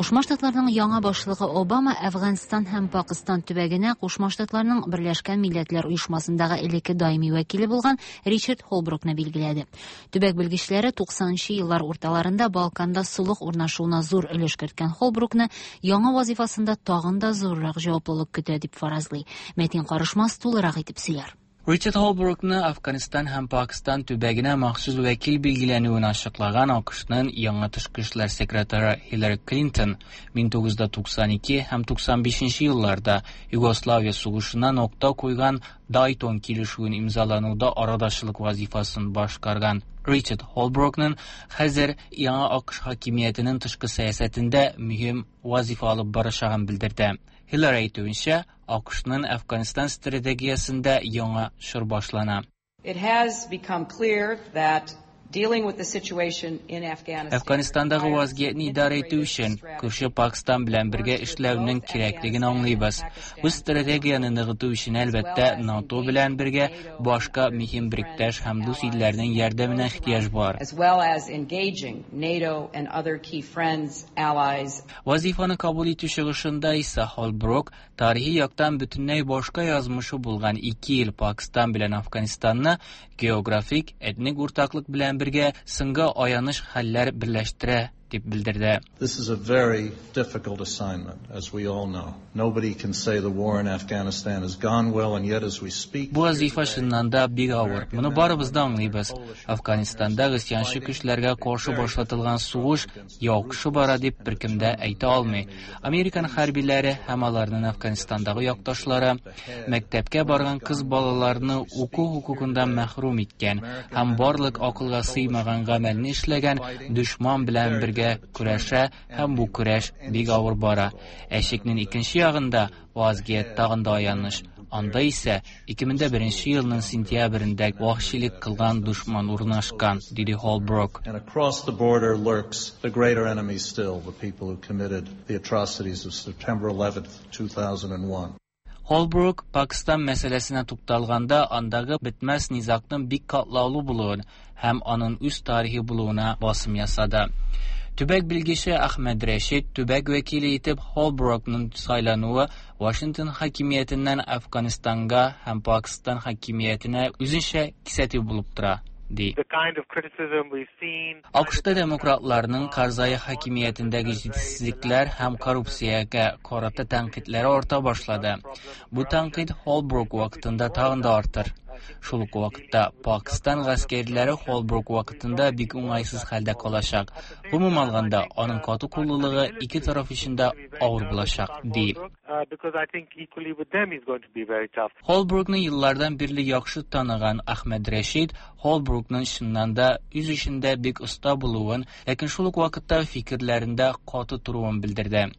Кушма Штатларның яңа башлыгы Обама Әфганстан һәм Пакыстан төбәгенә Кушма Штатларның Берләшкән Милләтләр Оешмасындагы элекке даими вәкиле булган Ричард Холбрукны билгеләде. Төбәк белгечләре 90 нчы еллар урталарында Балканда солых урнашуына зур өлеш керткән Холбрукны яңа вазифасында тагын да зуррак җаваплылык көтә дип фаразлый. Мәтин Карышмас тулырак итеп сөйләр. Ричард Холбрукны Әфганстан һәм Пакыстан төбәгенә махсус вәкил билгеләнүен ачыклаган АКШның яңа тышкы эшләр секретаре Хиллари Клинтон 1992 һәм 95 нче елларда Югославия сугышына нокта куйган Дайтон килешүен имзалануда арадашчылык вазифасын башкарган Ричард Холбрукның хәзер яңа АКШ хакимиятенең тышкы сәясәтендә мөһим вазифа алып барачагын белдерде. Хиллари әйтүенчә, АКШның Әфганстан стратегиясендә яңа чор башлана. It has become clear that dealing with the situation in Afghanistan Әфганстандагы вазгыятьне идарә итү өчен күрше Пакстан белән бергә эшләүнең кирәклеген аңлыйбыз. Бу стратегияне ныгыту өчен, әлбәттә, НАТО белән бергә башка мөһим беректәш һәм дус илләрнең ярдәменә ихтыяҗ бар. as well as engaging NATO and other key friends, allies. Вазифаны кабул итү чыгышында исә Холбрук тарихи яктан бөтенләй башка язмышы булган ике ил Пакстан белән Әфганстанны географик, этник уртаклык белән бергә соңгы аяныч хәлләр берләштерә дип белдерде. This is a very difficult assignment, as we all know. Nobody can say the war in Afghanistan has gone well, and yet as we speak... Бу вазифа чыннан да бик авыр. Моны барыбыз да аңлыйбыз. Әфганстанда гыйсъянчы көчләргә каршы башлатылган сугыш яхшы бара дип беркем дә әйтә алмый. Американ хәрбиләре һәм аларның Әфганстандагы якташлары мәктәпкә барган кыз балаларны уку хокукыннан мәхрүм иткән һәм барлык акылга сыймаган гамәлне эшләгән дошман белән бергә көрәшә һәм бу көрәш бик авыр бара. Ә чикнең икенче ягында вазгыять тагын да аяныч. Анда исә 2001 елның сентябрендә вәхшилек кылган дошман урнашкан, диде Холбрук. And across the border lurks the greater enemy still, the people who committed the atrocities of September 11th, 2001. Холбрук Пакстан мәсьәләсенә тукталганда андагы бетмәс низагның бик катлаулы булуын һәм аның үз тарихы булуына басым ясады. Төбәк белгече Әхмәд Рәшид төбәк вәкиле итеп Холбрукның сайлануы Вашингтон хакимиятеннән Әфганстанга һәм Пакстан хакимиятенә үзенчә кисәтү булып тора, ди. АКШта демократларның Карзай хакимиятендәге җитешсезлекләр һәм коррупциягә карата тәнкыйтьләре арта башлады. Бу тәнкыйть Холбрук вакытында тагын да артыр. Шул ук вакытта Пакстан гаскәрләре Холбрук вакытында бик уңайсыз хәлдә калачак. Гомум алганда, аның каты куллылыгы ике тараф өчен дә авыр булачак, ди. Холбрукны еллардан бирле яхшы таныган Әхмәд Рәшид Холбрукның чыннан да үз эшендә бик оста булуын, ләкин шул ук вакытта фикерләрендә каты торуын белдерде.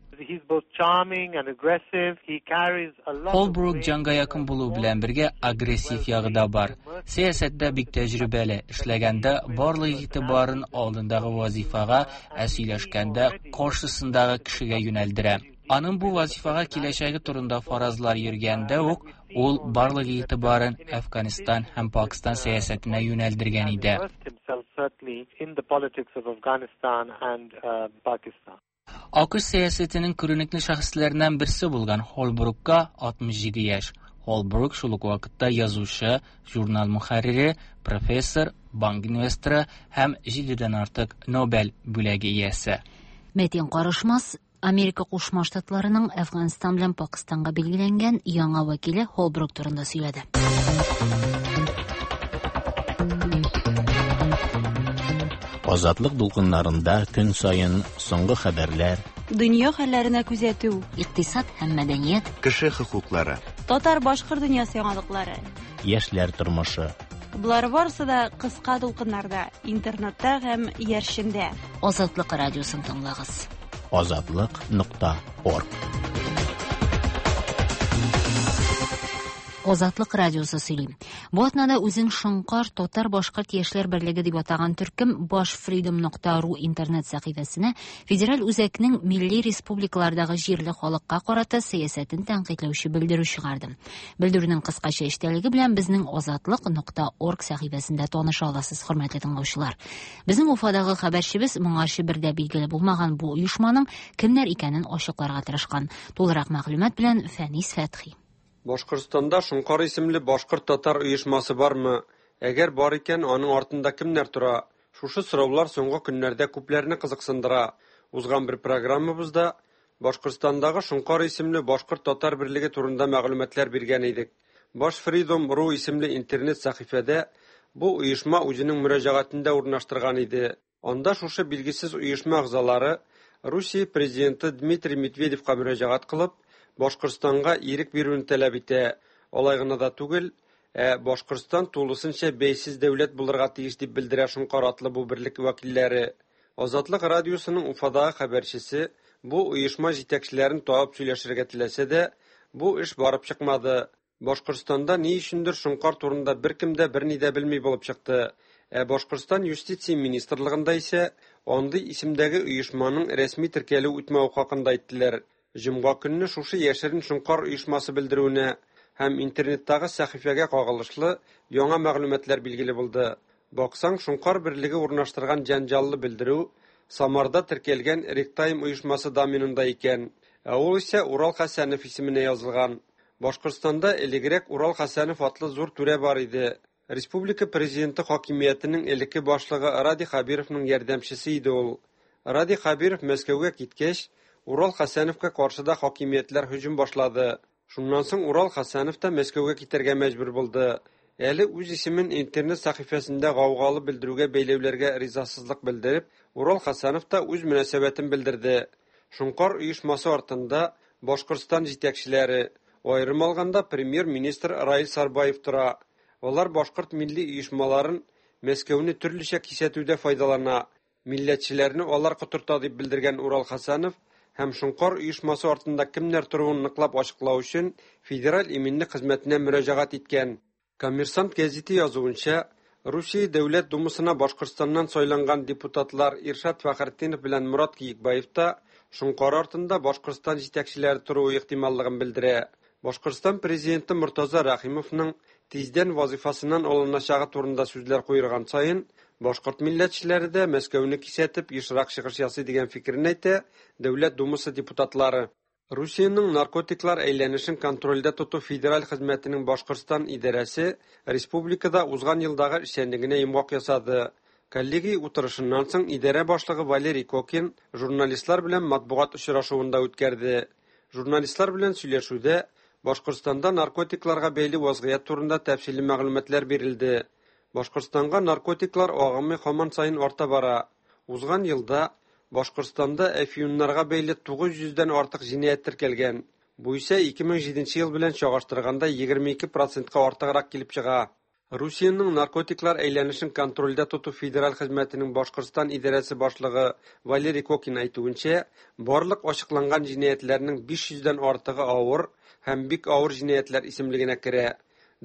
Холбрук җанга якын булу белән бергә агрессив ягы да бар. Сәясәттә бик тәҗрибәле, эшләгәндә барлык игътибарын алдындагы вазифага, ә сөйләшкәндә каршысындагы кешегә юнәлдерә. Аның бу вазифага киләчәге турында фаразлар йөргәндә үк, ул барлык игътибарын Әфганстан һәм Пакстан сәясәтенә юнәлдергән иде. АКШ сәясәтенең күренекле шәхесләреннән берсе булган Холбрукка 67 яшь. Холбрук шул ук вакытта язучы, журнал мөхәррире, профессор, банк инвесторы һәм җидедән артык Нобель бүләге иясе. Мәтин Карышмас, Америка Кушма Штатларының Әфганстан белән Пакыстанга билгеләнгән яңа вәкиле Холбрук турында сөйләде. Азатлык дулкыннарында көн саен соңгы хәбәрләр, Дөнья хәлләренә күзәтү, икътисад һәм мәдәният, кеше хокуклары, татар-башкорт дөньясы яңалыклары, яшьләр тормышы. Болар барысы да кыска дулкыннарда, интернетта һәм иярчендә. Азатлык радиосын тыңлагыз. Азатлык нокта орг. Азатлык радиосы сөйли. Бу атнада үзен Шоңкар татар-башкорт яшьләр берлеге дип атаган төркем башфридом.ру интернет сәхифәсенә федераль үзәкнең милли республикалардагы җирле халыкка карата сәясәтен тәнкыйтьләүче белдерү чыгарды. Белдерүнең кыскача эчтәлеге белән безнең азатлык.орг сәхифәсендә таныша аласыз, хөрмәтле тыңлаучылар. Безнең Уфадагы хәбәрчебез моңарчы бер дә билгеле булмаган бу оешманың кемнәр икәнен ачыкларга тырышкан. Тулырак мәгълүмат белән Фәнис Фәтхи. Башкортстанда Шоңкар исемле башкорт-татар оешмасы бармы? Әгәр бар икән, аның артында кемнәр тора? Шушы сораулар соңгы көннәрдә күпләрне кызыксындыра. Узган бер программабызда Башкортстандагы Шоңкар исемле башкорт-татар берлеге турында мәгълүматлар биргән идек. Башфридом.ру исемле интернет сәхифәдә бу оешма үзенең мөрәҗәгатен дә урнаштырган иде. Анда шушы билгесез оешма әгъзалары Русия президенты Дмитрий Медведевка мөрәҗәгать кылып, Башкортстанга ирек бирүне таләп итә. Алай гына да түгел, ә Башкортстан тулысынча бәйсез дәүләт булырга тиеш дип белдерә Шоңкар атлы бу берлек вәкилләре. Азатлык радиосының Уфадагы хәбәрчесе бу оешма җитәкчеләрен табып сөйләшергә теләсә дә, бу эш барып чыкмады. Башкортстанда ни өчендер Шоңкар турында беркем дә берни дә белми булып чыкты. Ә Башкортстан юстиция министрлыгында исә андый исемдәге оешманың рәсми теркәлү үтмәве хакында әйттеләр. Җомга көнне шушы яшерен Шоңкар оешмасы белдерүенә һәм интернеттагы сәхифәгә кагылышлы яңа мәгълүматлар билгеле булды. Баксаң, Шоңкар берлеге урнаштырган җәнҗаллы белдерү Самарда теркәлгән Ректайм оешмасы доменында икән. Ә ул исә Урал Хәсәнов исеменә язылган. Башкортстанда элегрәк Урал Хәсәнов атлы зур түрә бар иде. Республика президенты хакимиятенең элекке башлыгы Радий Хәбировның ярдәмчесе иде ул. Радий Хәбиров Мәскәүгә киткәч, Урал Хәсәновка каршы да хакимиятләр һөҗүм башлады. Шуннан соң Урал Хәсәнов та Мәскәүгә китәргә мәҗбүр булды. Әле үз исемен интернет сәхифәсендә гаугалы белдерүгә бәйләүләргә ризасызлык белдереп, Урал Хәсәнов та үз мөнәсәбәтен белдерде. Шоңкар оешмасы артында Башкортстан җитәкчеләре, аерым алганда премьер-министр Раил Сарбаев тора. Алар башкорт милли оешмаларын Мәскәүне төрлечә кисәтүдә файдалана. Милләтчеләрне алар котырта дип белдергән Урал Хәсәнов һәм Шоңкар оешмасы артында кемнәр торуын ныклап ачыклау өчен Федераль иминлек хезмәтенә мөрәҗәгать иткән. Коммерсант гәзите язуынча, Русия Дәүләт Думасына Башкортстаннан сайланган депутатлар Иршат Фәхретдинов белән Морат Киекбаев та Шоңкар артында Башкортстан җитәкчеләре торуы ихтималлыгын белдерә. Башкортстан президенты Мортаза Рәхимовның тиздән вазифасыннан алыначагы турында сүзләр куерган саен, башкорт милләтчеләре дә Мәскәүне кисәтеп ешрак чыгыш ясый дигән фикерен әйтә Дәүләт Думасы депутатлары. Русиянең наркотиклар әйләнешен контрольдә тоту федераль хезмәтенең Башкортстан идарәсе республикада узган елдагы эшчәнлегенә йомгак ясады. Коллегия утырышыннан соң идарә башлыгы Валерий Кокин журналистлар белән матбугат очрашуын да үткәрде. Журналистлар белән сөйләшүдә Башкортстанда наркотикларга бәйле вазгыять турында тәфсилле мәгълүматлар бирелде. Башкортстанга наркотиклар агымы һаман саен арта бара. Узган елда Башкортстанда әфьюннарга бәйле 900 дән артык җинаять теркәлгән. Бу исә 2007 ел белән чагыштырганда 22 процентка артыграк килеп чыга. Русиянең наркотиклар әйләнешен контрольдә тоту федераль хезмәтенең Башкортстан идарәсе башлыгы Валерий Кокин әйтүенчә, барлык ачыкланган җинаятьләрнең 500 дән артыгы авыр һәм бик авыр җинаятьләр исемлегенә керә.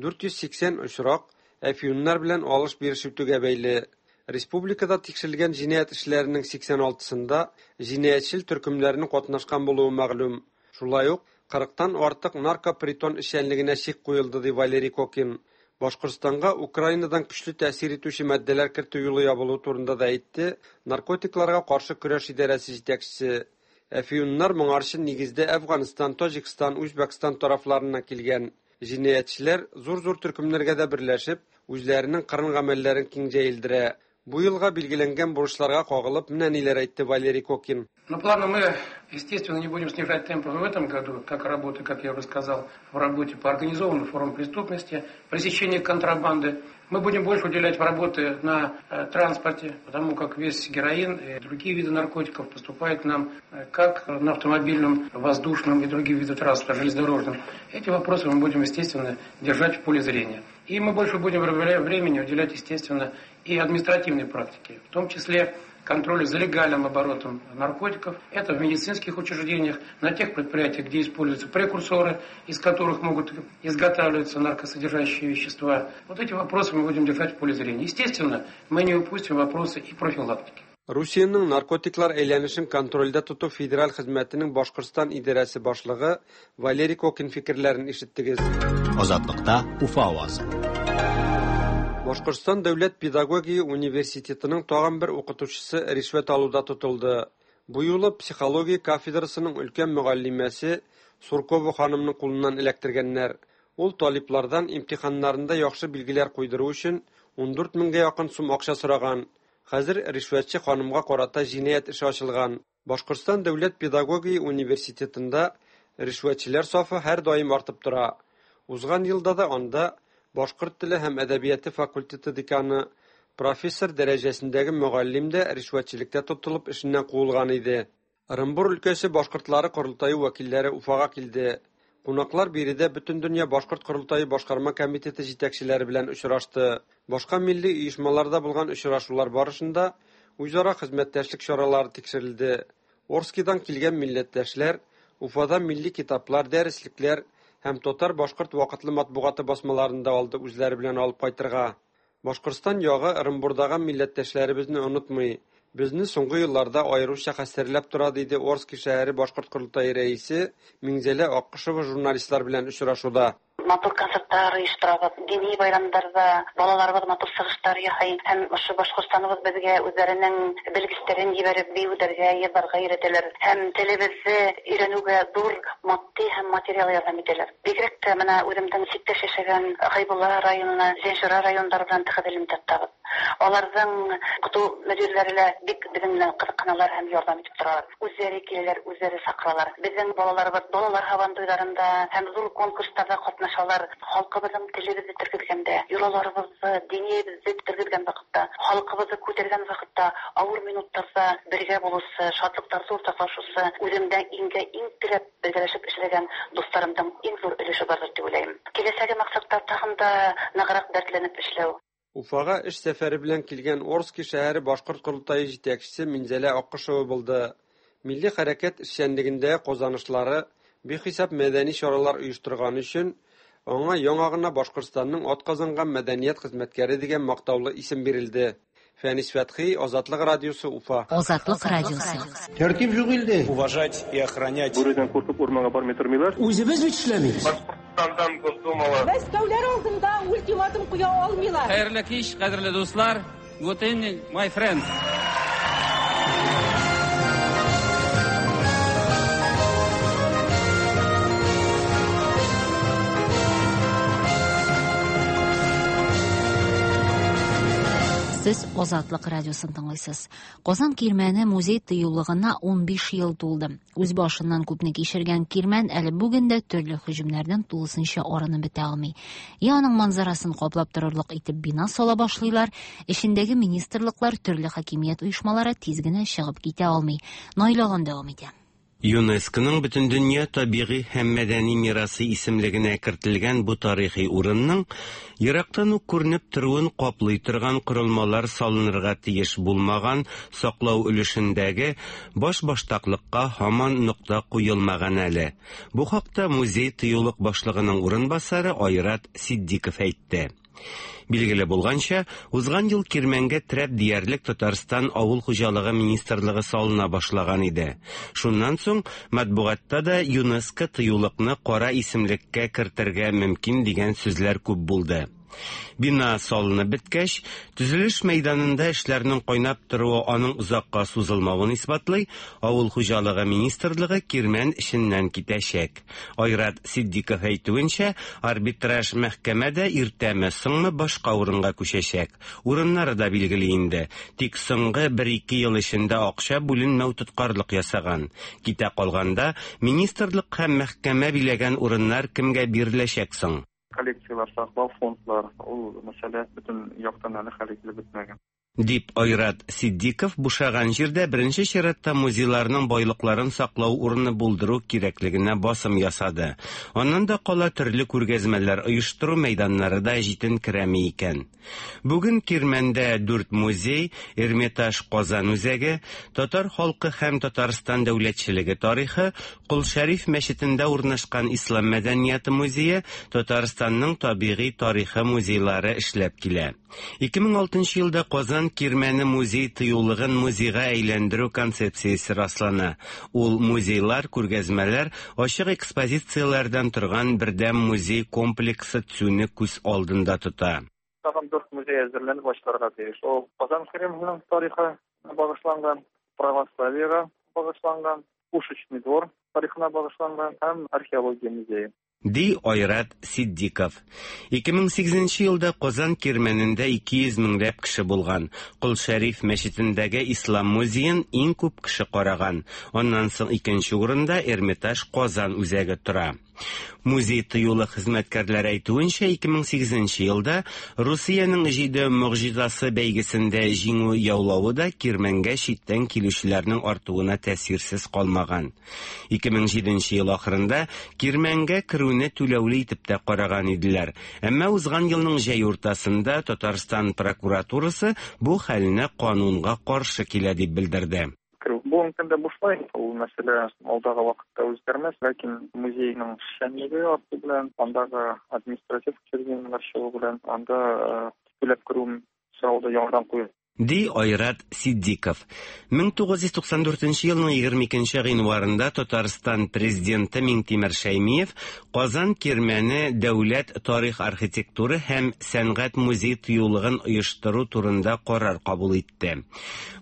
480 очрак әфьюннар белән алыш-биреш итүгә бәйле. Республикада тикшерелгән җинаять эшләренең 86-сында җинаятьчел төркемнәрнең катнашкан булуы мәгълүм. Шулай ук 40-тан артык наркопритон эшчәнлегенә чик куелды, ди Валерий Кокин. Башкортстанга Украинадан көчле тәэсир итүче матдәләр кертү юлы ябылуы турында да әйтте наркотикларга каршы көрәш идарәсе җитәкчесе. Әфьюннар моңарчы нигездә Әфганстан, Таҗикстан, Үзбәкстан тарафларыннан килгән. Җинаятьчеләр зур-зур төркемнәргә дә берләшеп, үзләренең кырын гамәлләрен киң җәелдерә. Бу елга билгеләнгән бурычларга кагылып менә ниләр әйтте Валерий Кокин. Но планы мы, естественно, не будем снижать темпы в этом году, как работы, как я уже сказал, в работе по организованным формам преступности, пресечению контрабанды. Мы будем больше уделять работы на транспорте, потому как весь героин и другие виды наркотиков поступают к нам как на автомобильном, воздушном и других видах транспорта, железнодорожном. Эти вопросы мы будем, естественно, держать в поле зрения. И мы больше будем времени уделять, естественно, и административной практике, в том числе контролю за легальным оборотом наркотиков. Это в медицинских учреждениях, на тех предприятиях, где используются прекурсоры, из которых могут изготавливаться наркосодержащие вещества. Вот эти вопросы мы будем держать в поле зрения. Естественно, мы не упустим вопросы и профилактики. Русиянең наркотиклар әйләнешен контрольдә тоту федераль хезмәтенең Башкортстан идарәсе башлыгы Валерий Кокин фикерләрен ишеттегез. Азатлыкта Уфа авазы. Башкортстан дәүләт педагогия университетының тагын бер укытучысы ришвәт алуда тотылды. Бу юлы психология кафедрасының өлкән мөгаллимәсе Суркова ханымның кулыннан эләктергәннәр. Ул талиплардан имтиханнарында яхшы билгеләр куйдыру өчен 14 меңгә якын сум акча сораган. Хәзер ришвәтче ханымга карата җинаять эше ачылган. Башкортстан дәүләт педагогия университетында ришвәтчеләр сафы һәрдаим артып тора. Узган елда да анда башкорт теле һәм әдәбияты факультеты деканы, профессор дәрәҗәсендәге мөгаллим дә ришвәтчелектә тотылып эшеннән куылган иде. Ырынбур өлкәсе башкортлары корылтае вәкилләре Уфага килде. Кунаклар биредә Бөтендөнья башкорт корылтае башкарма комитеты җитәкчеләре белән очрашты. Башка милли оешмаларда булган очрашулар барышында үзара хезмәттәшлек чаралары тикшерелде. Орскидан килгән милләттәшләр Уфада милли китаплар, дәреслекләр һәм татар-башкорт вакытлы матбугаты басмаларын да алды үзләре белән алып кайтырга. Башкортстан ягы Ырынбурдагы милләттәшләребезне онытмый. Безне соңгы елларда аеруча хәстәрләп тора, диде Орски шәһәре башкорт корылтае рәисе Миңзәлә Аккошева журналистлар белән очрашуда. Матур концертлар оештырабыз, дини байрамнарда балаларыбыз матур чыгышлар ясый һәм ошо Башкортстаныбыз безгә үзләренең белгечләрен җибәреп биюләргә, йырларга өйрәтәләр һәм телебезне өйрәнүгә зур матди һәм материал ярдәм итәләр. Бигрәк тә менә үземнең читтәш яшәгән Хәйбулла районына, Зәнчура районнары белән тыгыз элемтә тотабыз. Аларның укыту мөдирләре лә бик безнең белән кызыксыналар һәм ярдәм итеп торалар. Үзләре киләләр, үзләре чакыралар. Безнең балаларыбыз балалар һабантуйларында һәм зур конкурсларда катнашалар. Халкыбызның телебезне тергезгәндә, йолаларыбызны, динебезне тергезгән вакытта, халкыбызны күтәргән вакытта, авыр минутларда бергә булучы, шатлыкларда уртаклашучы, үземдә иңгә иң терәп бергәләшеп эшләгән дусларымның иң зур өлеше бардыр дип уйлыйм. Киләчәге максатлар тагын да ныграк дәртләнеп эшләү. Уфага эш сәфәре белән килгән Орски шәһәре башкорт корылтае җитәкчесе Минзәлә Аккошева булды. Милли хәрәкәт эшчәнлегендә казанышлары, бихисап мәдәни чаралар оештырганы өчен аңа яңа гына Башкортстанның атказанган мәдәният хезмәткәре дигән мактаулы исем бирелде. Фәнис Фәтхи, Азатлык радиосы, Уфа. Азатлык радиосы. Тәртип юк илдә. Уважать и охранять. Бүредән куркып урманга бармый тормыйлар. Үзебез бит эшләмибез. Башкортстандан Госдумалы. Мәскәүләр алдында ультиматум куя алмыйлар. Хәерле кич, кадерле дуслар. Good evening, my friends. Сез Азатлык радиосын тыңлыйсыз. Казан Кирмәне музей тыюлыгына 15 ел тулды. Үз башыннан күпне кичергән Кирмән әле бүген дә төрле һөҗүмнәрдән тулысынча арынып бетә алмый. Я аның манзарасын каплап торырлык итеп бина сала башлыйлар, эчендәге министрлыклар, төрле хакимият оешмалары тиз генә чыгып китә алмый. Наил Аган дәвам итә. ЮНЕСКОның Бөтендөнья табигый һәм мәдәни мирасы исемлегенә кертелгән бу тарихи урынның ерактан ук күренеп торуын каплый торган корылмалар салынырга тиеш булмаган саклау өлешендәге башбаштаклыкка һаман нокта куелмаган әле. Бу хакта музей-тыюлык башлыгының урынбасары Айрат Ситдиков әйтте. Билгеле булганча, узган ел Кирмәнгә терәп диярлек Татарстан авыл хуҗалыгы министрлыгы салына башлаган иде. Шуннан соң матбугатта да ЮНЕСКО тыюлыкны кара исемлеккә кертергә мөмкин дигән сүзләр күп булды. Бина салынып беткәч, төзелеш мәйданында эшләрнең кайнап торуы аның озакка сузылмавын исбатлый, авыл хуҗалыгы министрлыгы Кирмән эченнән китәчәк. Айрат Ситдиков әйтүенчә, арбитраж мәхкәмә дә иртәме, соңмы башка урынга күчәчәк. Урыннары да билгеле инде. Тик соңгы бер-ике ел эчендә акча бүленмәү тоткарлык ясаган. Китә калганда, министрлык һәм мәхкәмә биләгән урыннар кемгә биреләчәк соң? Коллекцияләр саклау, фондлар, ул мәсьәлә бөтен яктан әле хәл ителеп бетмәгән. Дип Айрат Ситдиков бушаган җирдә беренче чиратта музейларның байлыкларын саклау урыны булдыру кирәклегенә басым ясады. Аннан да кала төрле күргәзмәләр оештыру мәйданнары да җитенкерәми икән. Бүген Кирмәндә дүрт музей, Эрмитаж Казан үзәге, татар халкы һәм Татарстан дәүләтчелеге тарихы, Кол Шәриф мәчетендә урнашкан Ислам мәдәнияте музее, Татарстанның табигый тарихы музейлары эшләп килә. 2006 елда Казан Кирмәне музей-тыюлыгын музейга әйләндерү концепциясе раслана. Ул музейлар, күргәзмәләр, ачык экспозицияләрдән торган бердәм музей комплексы төзүне күз алдында тота. Тагын дүрт музей әзерләнеп ачылырга тиеш. Ул Казан Кремленең тарихына багышланган, православиегә багышланган, Пушечный двор тарихына багышланган һәм археология музее. Ди Айрат Ситдиков. 2008 нче елда Казан Кирмәнендә 200 меңләп кеше булган. Кол Шәриф мәчетендәге Ислам музеен иң күп кеше караган. Аннан соң икенче урында Эрмитаж Казан үзәге тора. Музей-тыюлык хезмәткәрләре әйтүенчә, 2008 нче елда Русиянең җиде могҗизасы бәйгесендә җиңү яулавы да Кирмәнгә читтән килүчеләрнең артуына тәэсирсез калмаган. 2007 нче ел ахырында Кирмәнгә керүне түләүле итеп тә караган иделәр. Әмма узган елның җәй уртасында Татарстан прокуратурасы бу хәлне канунга каршы килә дип белдерде. Керү бүгенге көндә бушлай, ул мәсьәлә алдагы вакытта үзгәрмәс, ләкин музейның эшчәнлеге арту белән, андагы административ учреждениеләр чыгу белән, анда түләп керү сорауы да яңадан куелды. Ди Айрат Ситдиков. 1994 нче елның 22 нче гыйнварында Татарстан Президенты Миңтимер Шәймиев Казан Кирмәне дәүләт тарих-архитектура һәм сәнгать музей-тыюлыгын оештыру турында карар кабул итте.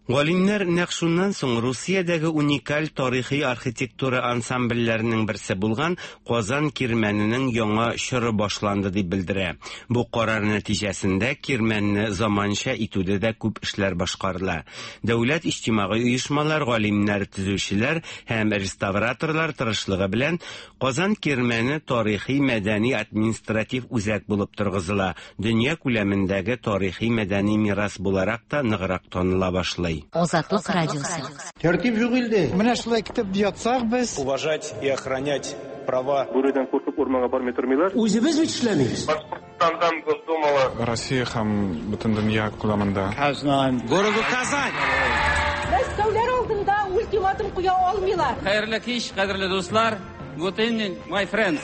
Галимнәр нәкъ шуннан соң Русиядәге уникаль тарихи архитектура ансамбльләренең берсе булган Казан Кирмәненең яңа чоры башланды дип белдерә. Бу карар нәтиҗәсендә Кирмәнне заманча итүдә дә күп эшләр башкарыла. Дәүләт, иҗтимагый оешмалар, галимнәр, төзүчеләр һәм реставраторлар тырышлыгы белән Казан Кирмәне тарихи-мәдәни административ үзәк булып торгызыла, дөнья күләмендәге тарихи-мәдәни мирас буларак та ныграк таныла башлый. Азатлык радиосы. Тәртип юк илдә. Менә шулай көтеп ятсак без. Уважать и охранять права. Бүредән куркып урманга бармый тормыйлар. Үзебез бит эшләмибез. Башкортстандан Госдумала. Россия һәм бөтен дөнья күләмендә. Казань. Городу Казань. Мәскәүләр алдында ультиматум куя алмыйлар. Хәерле кич, кадерле дуслар. Good evening, my friends.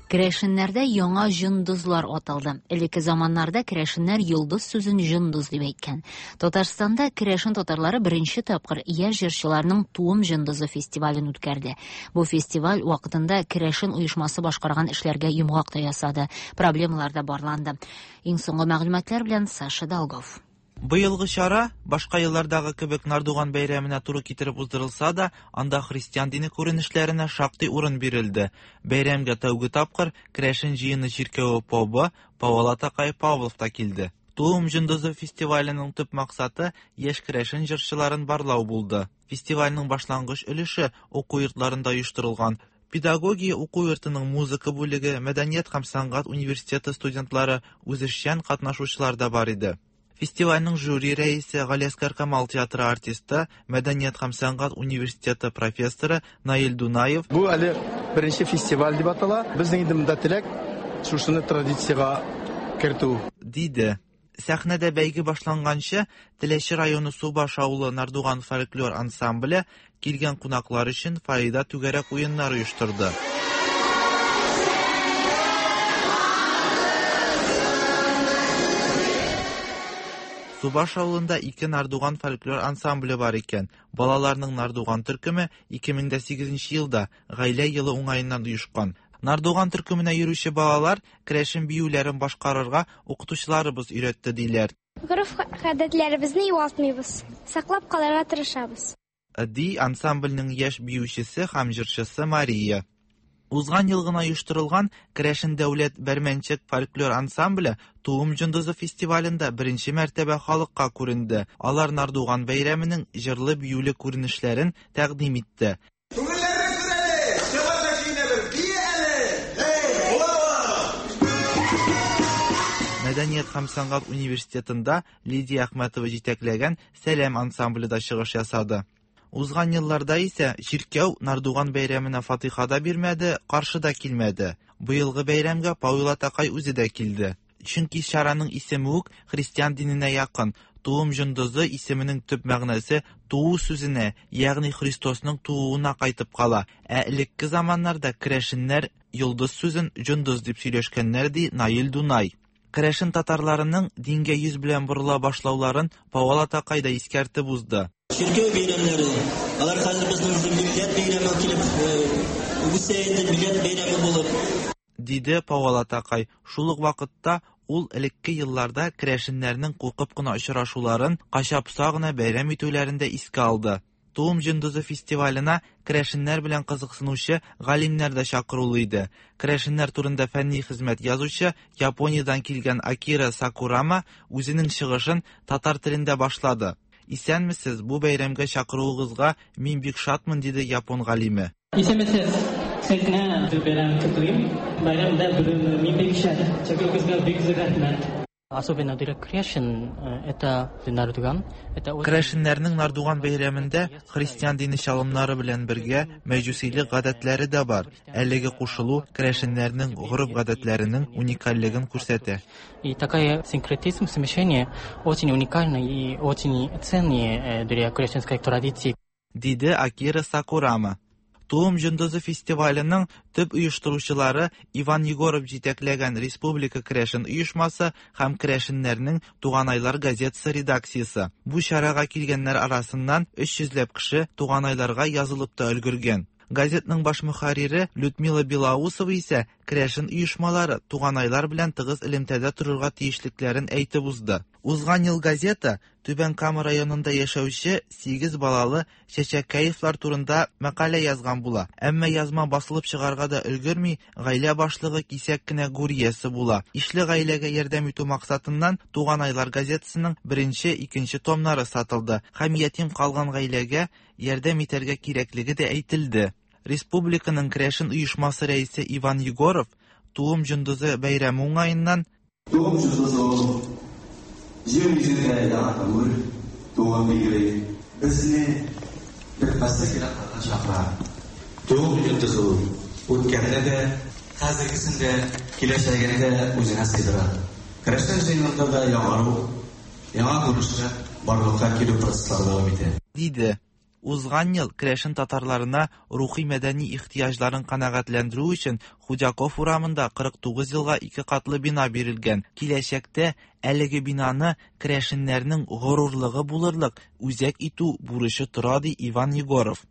Керәшеннәрдә яңа җондызлар аталды. Элекке заманнарда керәшеннәр йолдыз сүзен җондыз дип әйткән. Татарстанда керәшен татарлары беренче тапкыр яшь җырчыларның Туым җондызы фестивален үткәрде. Бу фестиваль вакытында керәшен оешмасы башкарган эшләргә йомгак та ясады, проблемалар да барланды. Иң соңгы мәгълүматлар белән Саша Долгов. Быелгы чара, башка еллардагы кебек Нардуган бәйрәменә туры китереп уздырылса да, анда христиан дине күренешләренә шактый урын бирелде. Бәйрәмгә тәүге тапкыр Керәшен җыены чиркәве побы Павел атакай Павлов та килде. Туым җондызы фестиваленең төп максаты яшь керәшен җырчыларын барлау булды. Фестивальнең башлангыч өлеше уку йортларында оештырылган. Педагогия уку йортының музыка бүлеге, мәдәният һәм сәнгать университеты студентлары, үзешчән катнашучылар да бар иде. Фестивальнең жюри рәисе, Галиәсгар Камал театры артисты, Мәдәният һәм сәнгать университеты профессоры Наил Дунаев. Бу әле беренче фестиваль дип атала. Безнең инде монда теләк, шушыны традициягә кертү. Диде. Сәхнәдә бәйге башланганчы, Теләче районы Субаш авылы Нардуган фольклор ансамбле килгән кунаклар өчен фойеда түгәрәк уеннар оештырды. Субаш авылында ике Нардуган фольклор ансамбле бар икән. Балаларның Нардуган төркеме 2008 елда, Гаилә елы уңаеннан оешкан. Нардуган төркеменә йөрүче балалар керәшен биюләрен башкарырга укытучыларыбыз өйрәтте, диләр. Гореф-гадәтләребезне югалтмыйбыз, саклап калырга тырышабыз. Ди ансамбльнең яшь биючесе һәм җырчысы Мария. Узган ел гына оештырылган Керәшен дәүләт Бәрмәнчек фольклор ансамбле Туым җондызы фестивалендә беренче мәртәбә халыкка күренде. Алар Нардуган бәйрәменең җырлы-биюле күренешләрен тәкъдим итте. Күңелләрне күр әле, чыгар да көенәбез, бие әле! Эй, була! Мәдәният һәм сәнгать университетында Лидия Әхмәтова җитәкләгән Сәлам ансамбле дә чыгыш ясады. Узган елларда исә чиркәү Нардуган бәйрәменә фатыйха да бирмәде, каршы да килмәде. Быелгы бәйрәмгә Пауил атакай үзе дә килде. Чөнки чараның исеме үк христиан диненә якын, Туым җондызы исеменең төп мәгънәсе туу сүзенә, ягъни Христосның тууына кайтып кала. Ә элекке заманнарда керәшеннәр йолдыз сүзен җондыз дип сөйләшкәннәр, ди Наил Дунай. Керәшен татарларының дингә йөз белән борыла башлауларын Пауал атакай да искәртеп узды. Чиркәү бәйрәмнәре, алар хәзер безнең уже милләт бәйрәме килеп үсә инде, милләт бәйрәме булып. Диде Пауал атакай. Шул ук вакытта ул элекке елларда керәшеннәрнең куркып кына очрашуларын, кача-поса гына бәйрәм итүләрен дә искә алды. Туым җондызы фестиваленә керәшеннәр белән кызыксынучы галимнәр дә чакырулы иде. Керәшеннәр турында фәнни хезмәт язучы, Япониядән килгән Акира Сакурама үзенең чыгышын татар телендә башлады. Исәнмесез, бу бәйрәмгә чакыруыгызга мин бик шатмын, диде япон галиме. Исәнмесез, сезне бу бәйрәм котлыйм. Бәйрәмдә бүген мин бик шат. Чакыруыгызга бик зур рәхмәт. Особенно для кряшен это Нардуган. Это очень Керәшеннәрнең Нардуган бәйрәмендә христиан дине чалымнары белән бергә мәҗүсилек гадәтләре дә бар. Әлеге кушылу керәшеннәрнең гореф-гадәтләренең уникальлеген күрсәтә. И такая синкретизм, смешение очень уникальный и очень ценный для кряшенской традиции. Диде Акира Сакурама. Туым җондызы фестиваленең төп оештыручылары Иван Егоров җитәкләгән Республика керәшен оешмасы һәм керәшеннәрнең Туганайлар газетасы редакциясе. Бу чарага килгәннәр арасыннан 300 ләп кеше Туганайларга язылып та өлгергән. Газетның баш мөхәррире Людмила Белоусова исә керәшен оешмалары Туганайлар белән тыгыз элемтәдә торырга тиешлекләрен әйтеп узды. Узган ел газета Түбән Кама районында яшәүче сигез балалы Чәчәкәевлар турында мәкалә язган була. Әмма язма басылып чыгарга да өлгерми, гаилә башлыгы кисәк кенә гүр иясе була. Ишле гаиләгә ярдәм итү максатыннан Туганайлар газетасының беренче, икенче томнары сатылды һәм ятим калган гаиләгә ярдәм итәргә кирәклеге дә әйтелде. Республиканың керәшен оешмасы рәисе Иван Егоров Туым җондызы бәйрәме уңаеннан, Туым җондызы ул, җир йөзендә яңа гомер тууын билгели, безне бетмәслек еракларга чакыра. Туым җондызы ул, үткәнне дә, хәзергесен дә, киләчәгене дә үзенә сыйдыра. Керәшен җыенында да яңару, Яңа күренешләр барлыкка килү процесслары дәвам итә. Диде. Узган ел керәшен татарларына рухи-мәдәни ихтыяҗларын канәгатьләндерү өчен Худяков урамында 49 елга ике катлы бина бирелгән. Киләчәктә әлеге бинаны керәшеннәрнең горурлыгы булырлык үзәк итү бурычы тора, ди Иван Егоров.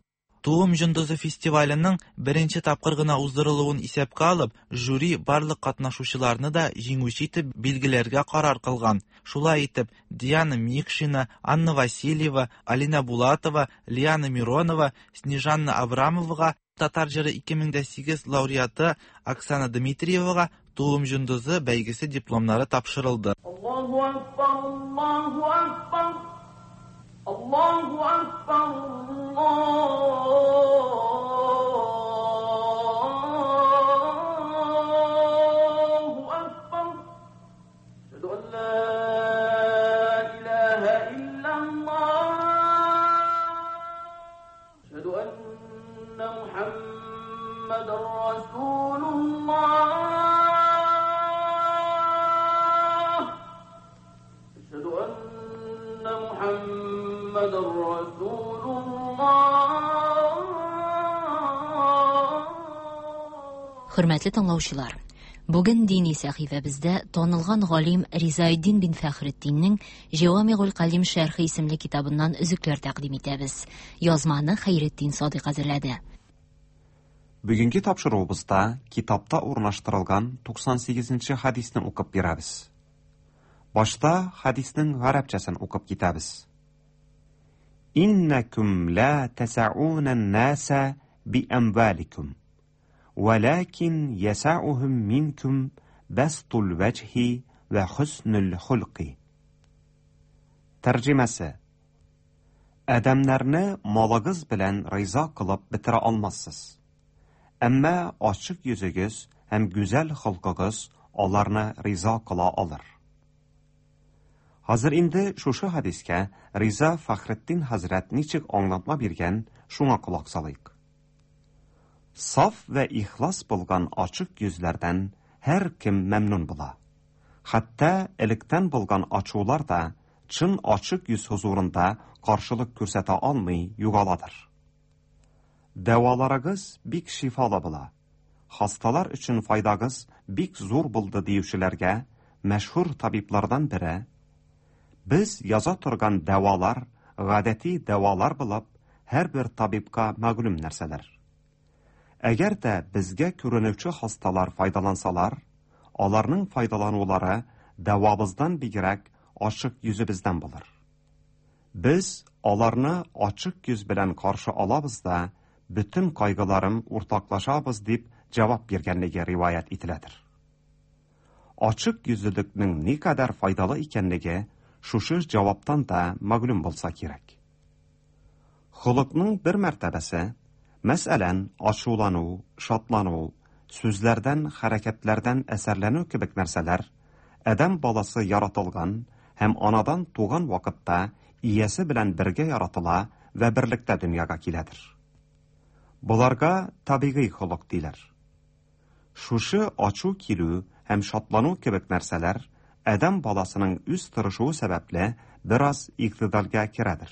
Туым җондызы фестиваленең беренче тапкыр гына уздырылуын исәпкә алып, жюри барлык катнашучыларны да җиңүче итеп билгеләргә карар кылган. Шулай итеп, Диана Микшина, Анна Васильева, Алинә Булатова, Лиана Миронова, Снежанна Абрамовага, Татар җыры 2008 лауреаты Оксана Дмитриевага Туым җондызы бәйгесе дипломнары тапшырылды. Аллаһу акбар, Аллаһу акбар, Аллаһу акбар, Аллаһу акбар. Әшһәду ан ла илаһа иллаллаһ. Әшһәду анна Мухаммадан расулуллаһ. Әшһәду анна Мухаммадан расулуллаһ. Хөрмәтле тыңлаучылар, бүген дини сәхифәбездә танылган галим Ризаэддин бин Фәхретдиннең Җәвамигуль Калим шәрхе исемле китабыннан өзекләр тәкъдим итәбез. Язманы Хәйретдин Садыйк әзерләде. Бүгенге тапшыруыбызда китапта урнаштырылган 98 нче хәдисне укып бирәбез. Башта хәдиснең гарәпчәсен укып китәбез. Иннәкүм ла тәсәүнән нәсә би әмваликум. Вәләкин ясәүһүм минкүм бәстул вәҗһи вә хөснүл хөлки. Тәрҗемәсе. Адәмнәрне малыгыз белән риза кылып бетерә алмассыз. Әмма ачык йөзегез һәм гүзәл холкыгыз аларны риза кыла алыр. Хәзер инде шушы хәдискә Риза Фәхретдин хәзрәт ничек аңлатма биргән, шуңа колак салыйк. Саф вә ихлас булган ачык йөзләрдән һәркем мәмнүн була. Хәтта электән булган ачулар да чын ачык йөз хозурында каршылык күрсәтә алмый югаладыр. Дәваларыгыз бик шифалы була. Хасталар өчен файдагыз бик зур булды диючеләргә мәшһүр табиблардан бере, Без яза торган дәвалар гадәти дәвалар булып, һәрбер табибка мәгълүм нәрсәләр. Әгәр дә безгә күренүче хасталар файдалансалар, аларның файдаланулары дәвабыздан бигрәк ачык йөзебездән булыр. Без аларны ачык йөз белән каршы алабыз да, бөтен кайгыларын уртаклашабыз дип җавап биргәнлеге риваять ителәдер. Ачык йөзлелекнең никадәр файдалы икәнлеге шушы җаваптан да мәгълүм булса кирәк. Холыкның бер мәртәбәсе, мәсәлән, ачулану, шатлану, сүзләрдән, хәрәкәтләрдән әсәрләнү кебек нәрсәләр, адәм баласы яратылган һәм анадан туган вакытта иясе белән бергә яратыла вә берлектә дөньяга киләдер. Боларга табигый холык диләр. Шушы ачу килү һәм шатлану кебек нәрсәләр адәм баласының үз тырышуы сәбәпле бераз игътидалгә керәдер.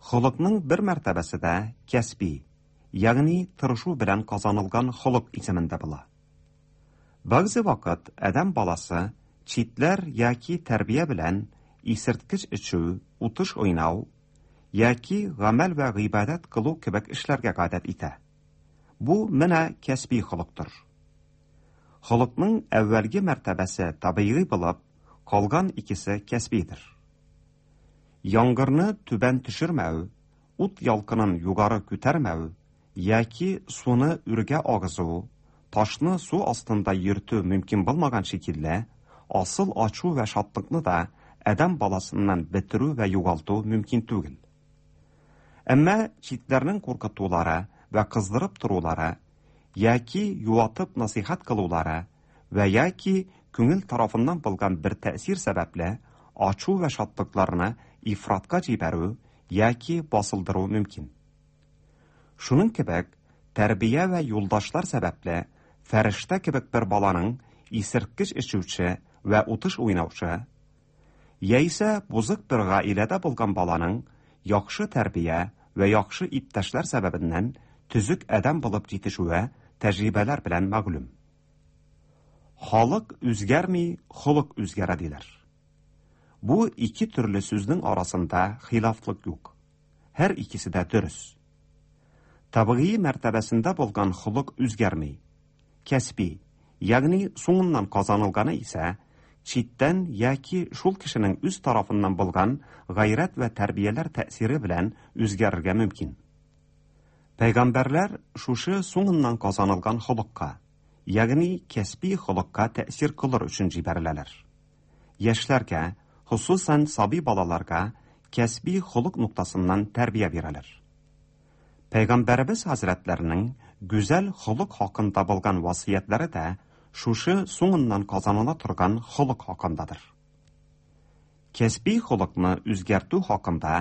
Холыкның бер мәртәбәсе дә кәсби, ягъни тырышу белән казанылган холык исемендә була. Бәгъзе вакыт адәм баласы читләр яки тәрбия белән исерткеч эчү, утыш уйнау яки гамәл вә гыйбадәт кылу кебек эшләргә гадәт итә. Бу менә кәсби холыктыр. Холыкның әүвәлге мәртәбәсе табигый булып, калган икесе кәсбидер. Яңгырны түбән төшермәү, ут ялкынын югары күтәрмәү яки суны үргә агызу, ташны су астында йөртү мөмкин булмаган шикелле, асыл ачу вә шатлыкны да адәм баласыннан бетерү вә югалту мөмкин түгел. Әмма читләрнең куркытулары вә кыздырып торулары яки юатып насыйхәт кылулары вә яки күңел тарафыннан булган бер тәэсир сәбәпле ачу вә шатлыкларны ифратка җибәрү яки басылдыру мөмкин. Шуның кебек, тәрбия вә юлдашлар сәбәпле фәрештә кебек бер баланың исерткеч эчүче вә утыш уйнаучы, яисә бозык бер гаиләдә булган баланың яхшы тәрбия вә яхшы иптәшләр сәбәбеннән төзек адәм булып җитешүе тәҗрибәләр белән мәгълүм. Халык үзгәрми, холык үзгәрә диләр. Бу ике төрле сүзнең арасында хилафлык юк. Һәр икесе дә дөрес. Табигый мәртәбәсендә булган холык үзгәрми. Кәсби, ягъни соңыннан казанылганы исә, читтән яки шул кешенең үз тарафыннан булган гайрәт вә тәрбияләр тәэсире белән үзгәрергә мөмкин. Пәйгамбәрләр шушы соңыннан казанылган холыкка, ягъни кәсби холыкка тәэсир кылыр өчен җибәреләләр. Яшьләргә, хосусан сабый балаларга кәсби холык ноктасыннан тәрбия бирәләр. Пәйгамбәребез хәзрәтләренең гүзәл холык хакында булган васыятьләре дә шушы соңыннан казаныла торган холык хакындадыр. Кәсби холыкны үзгәртү хакында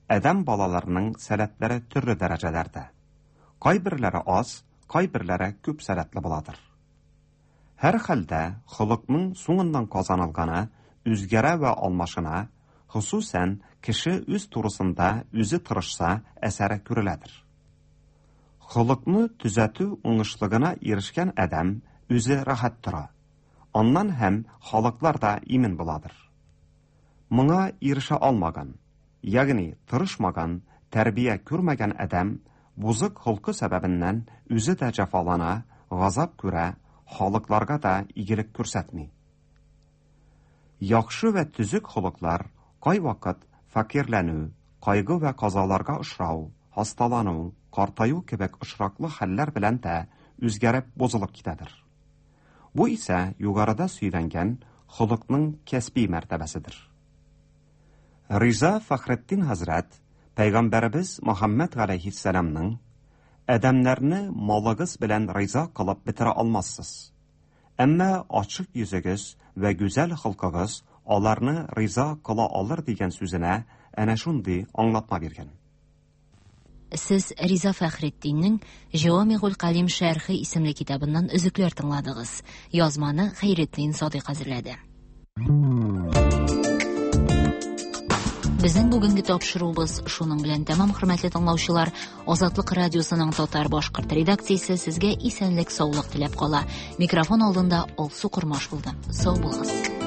адәм балаларының сәләтләре төрле дәрәҗәләрдә. Кайберләре аз, кайберләре күп сәләтле буладыр. Һәр хәлдә холыкның соңыннан казанылганы үзгәрә вә алмашына, хосусән кеше үз турысында үзе тырышса, әсәре күреләдер. Холыкны төзәтү уңышлыгына ирешкән адәм үзе рәхәт тора. Аннан һәм халыклар да имин буладыр. Моңа ирешә алмаган, ягъни тырышмаган, тәрбия күрмәгән адәм бузык холкы сәбәбеннән үзе дә җәфалана, газап күрә, халыкларга да игелек күрсәтми. Яхшы вә төзек холыклар кайвакыт фәкыйрьләнү, кайгы вә казаларга очрау, хасталану, картаю кебек очраклы хәлләр белән дә үзгәреп, бозылып китәдер. Бу исә югарыда сөйләнгән холыкның кәсби мәртәбәседер. Риза Фәхретдин хәзрәт пәйгамбәребез Мөхәммәд галәйһиссәламның Адәмнәрне малыгыз белән риза кылып бетерә алмассыз. Әмма ачык йөзегез вә гүзәл холкыгыз аларны риза кыла алыр дигән сүзенә әнә шундый аңлатма биргән. Сез Риза Фәхретдиннең Җавамигуль Калим шәрхе исемле китабыннан өзекләр тыңладыгыз. Язманы Хәйретдин Садыйк әзерләде. Безнең бүгенге тапшыруыбыз шуның белән тәмам, хөрмәтле тыңлаучылар. Азатлык радиосының татар башкорт редакциясе сезгә исәнлек, саулык теләп кала. Микрофон алдында Алсу Кормаш булды. Сау булыгыз.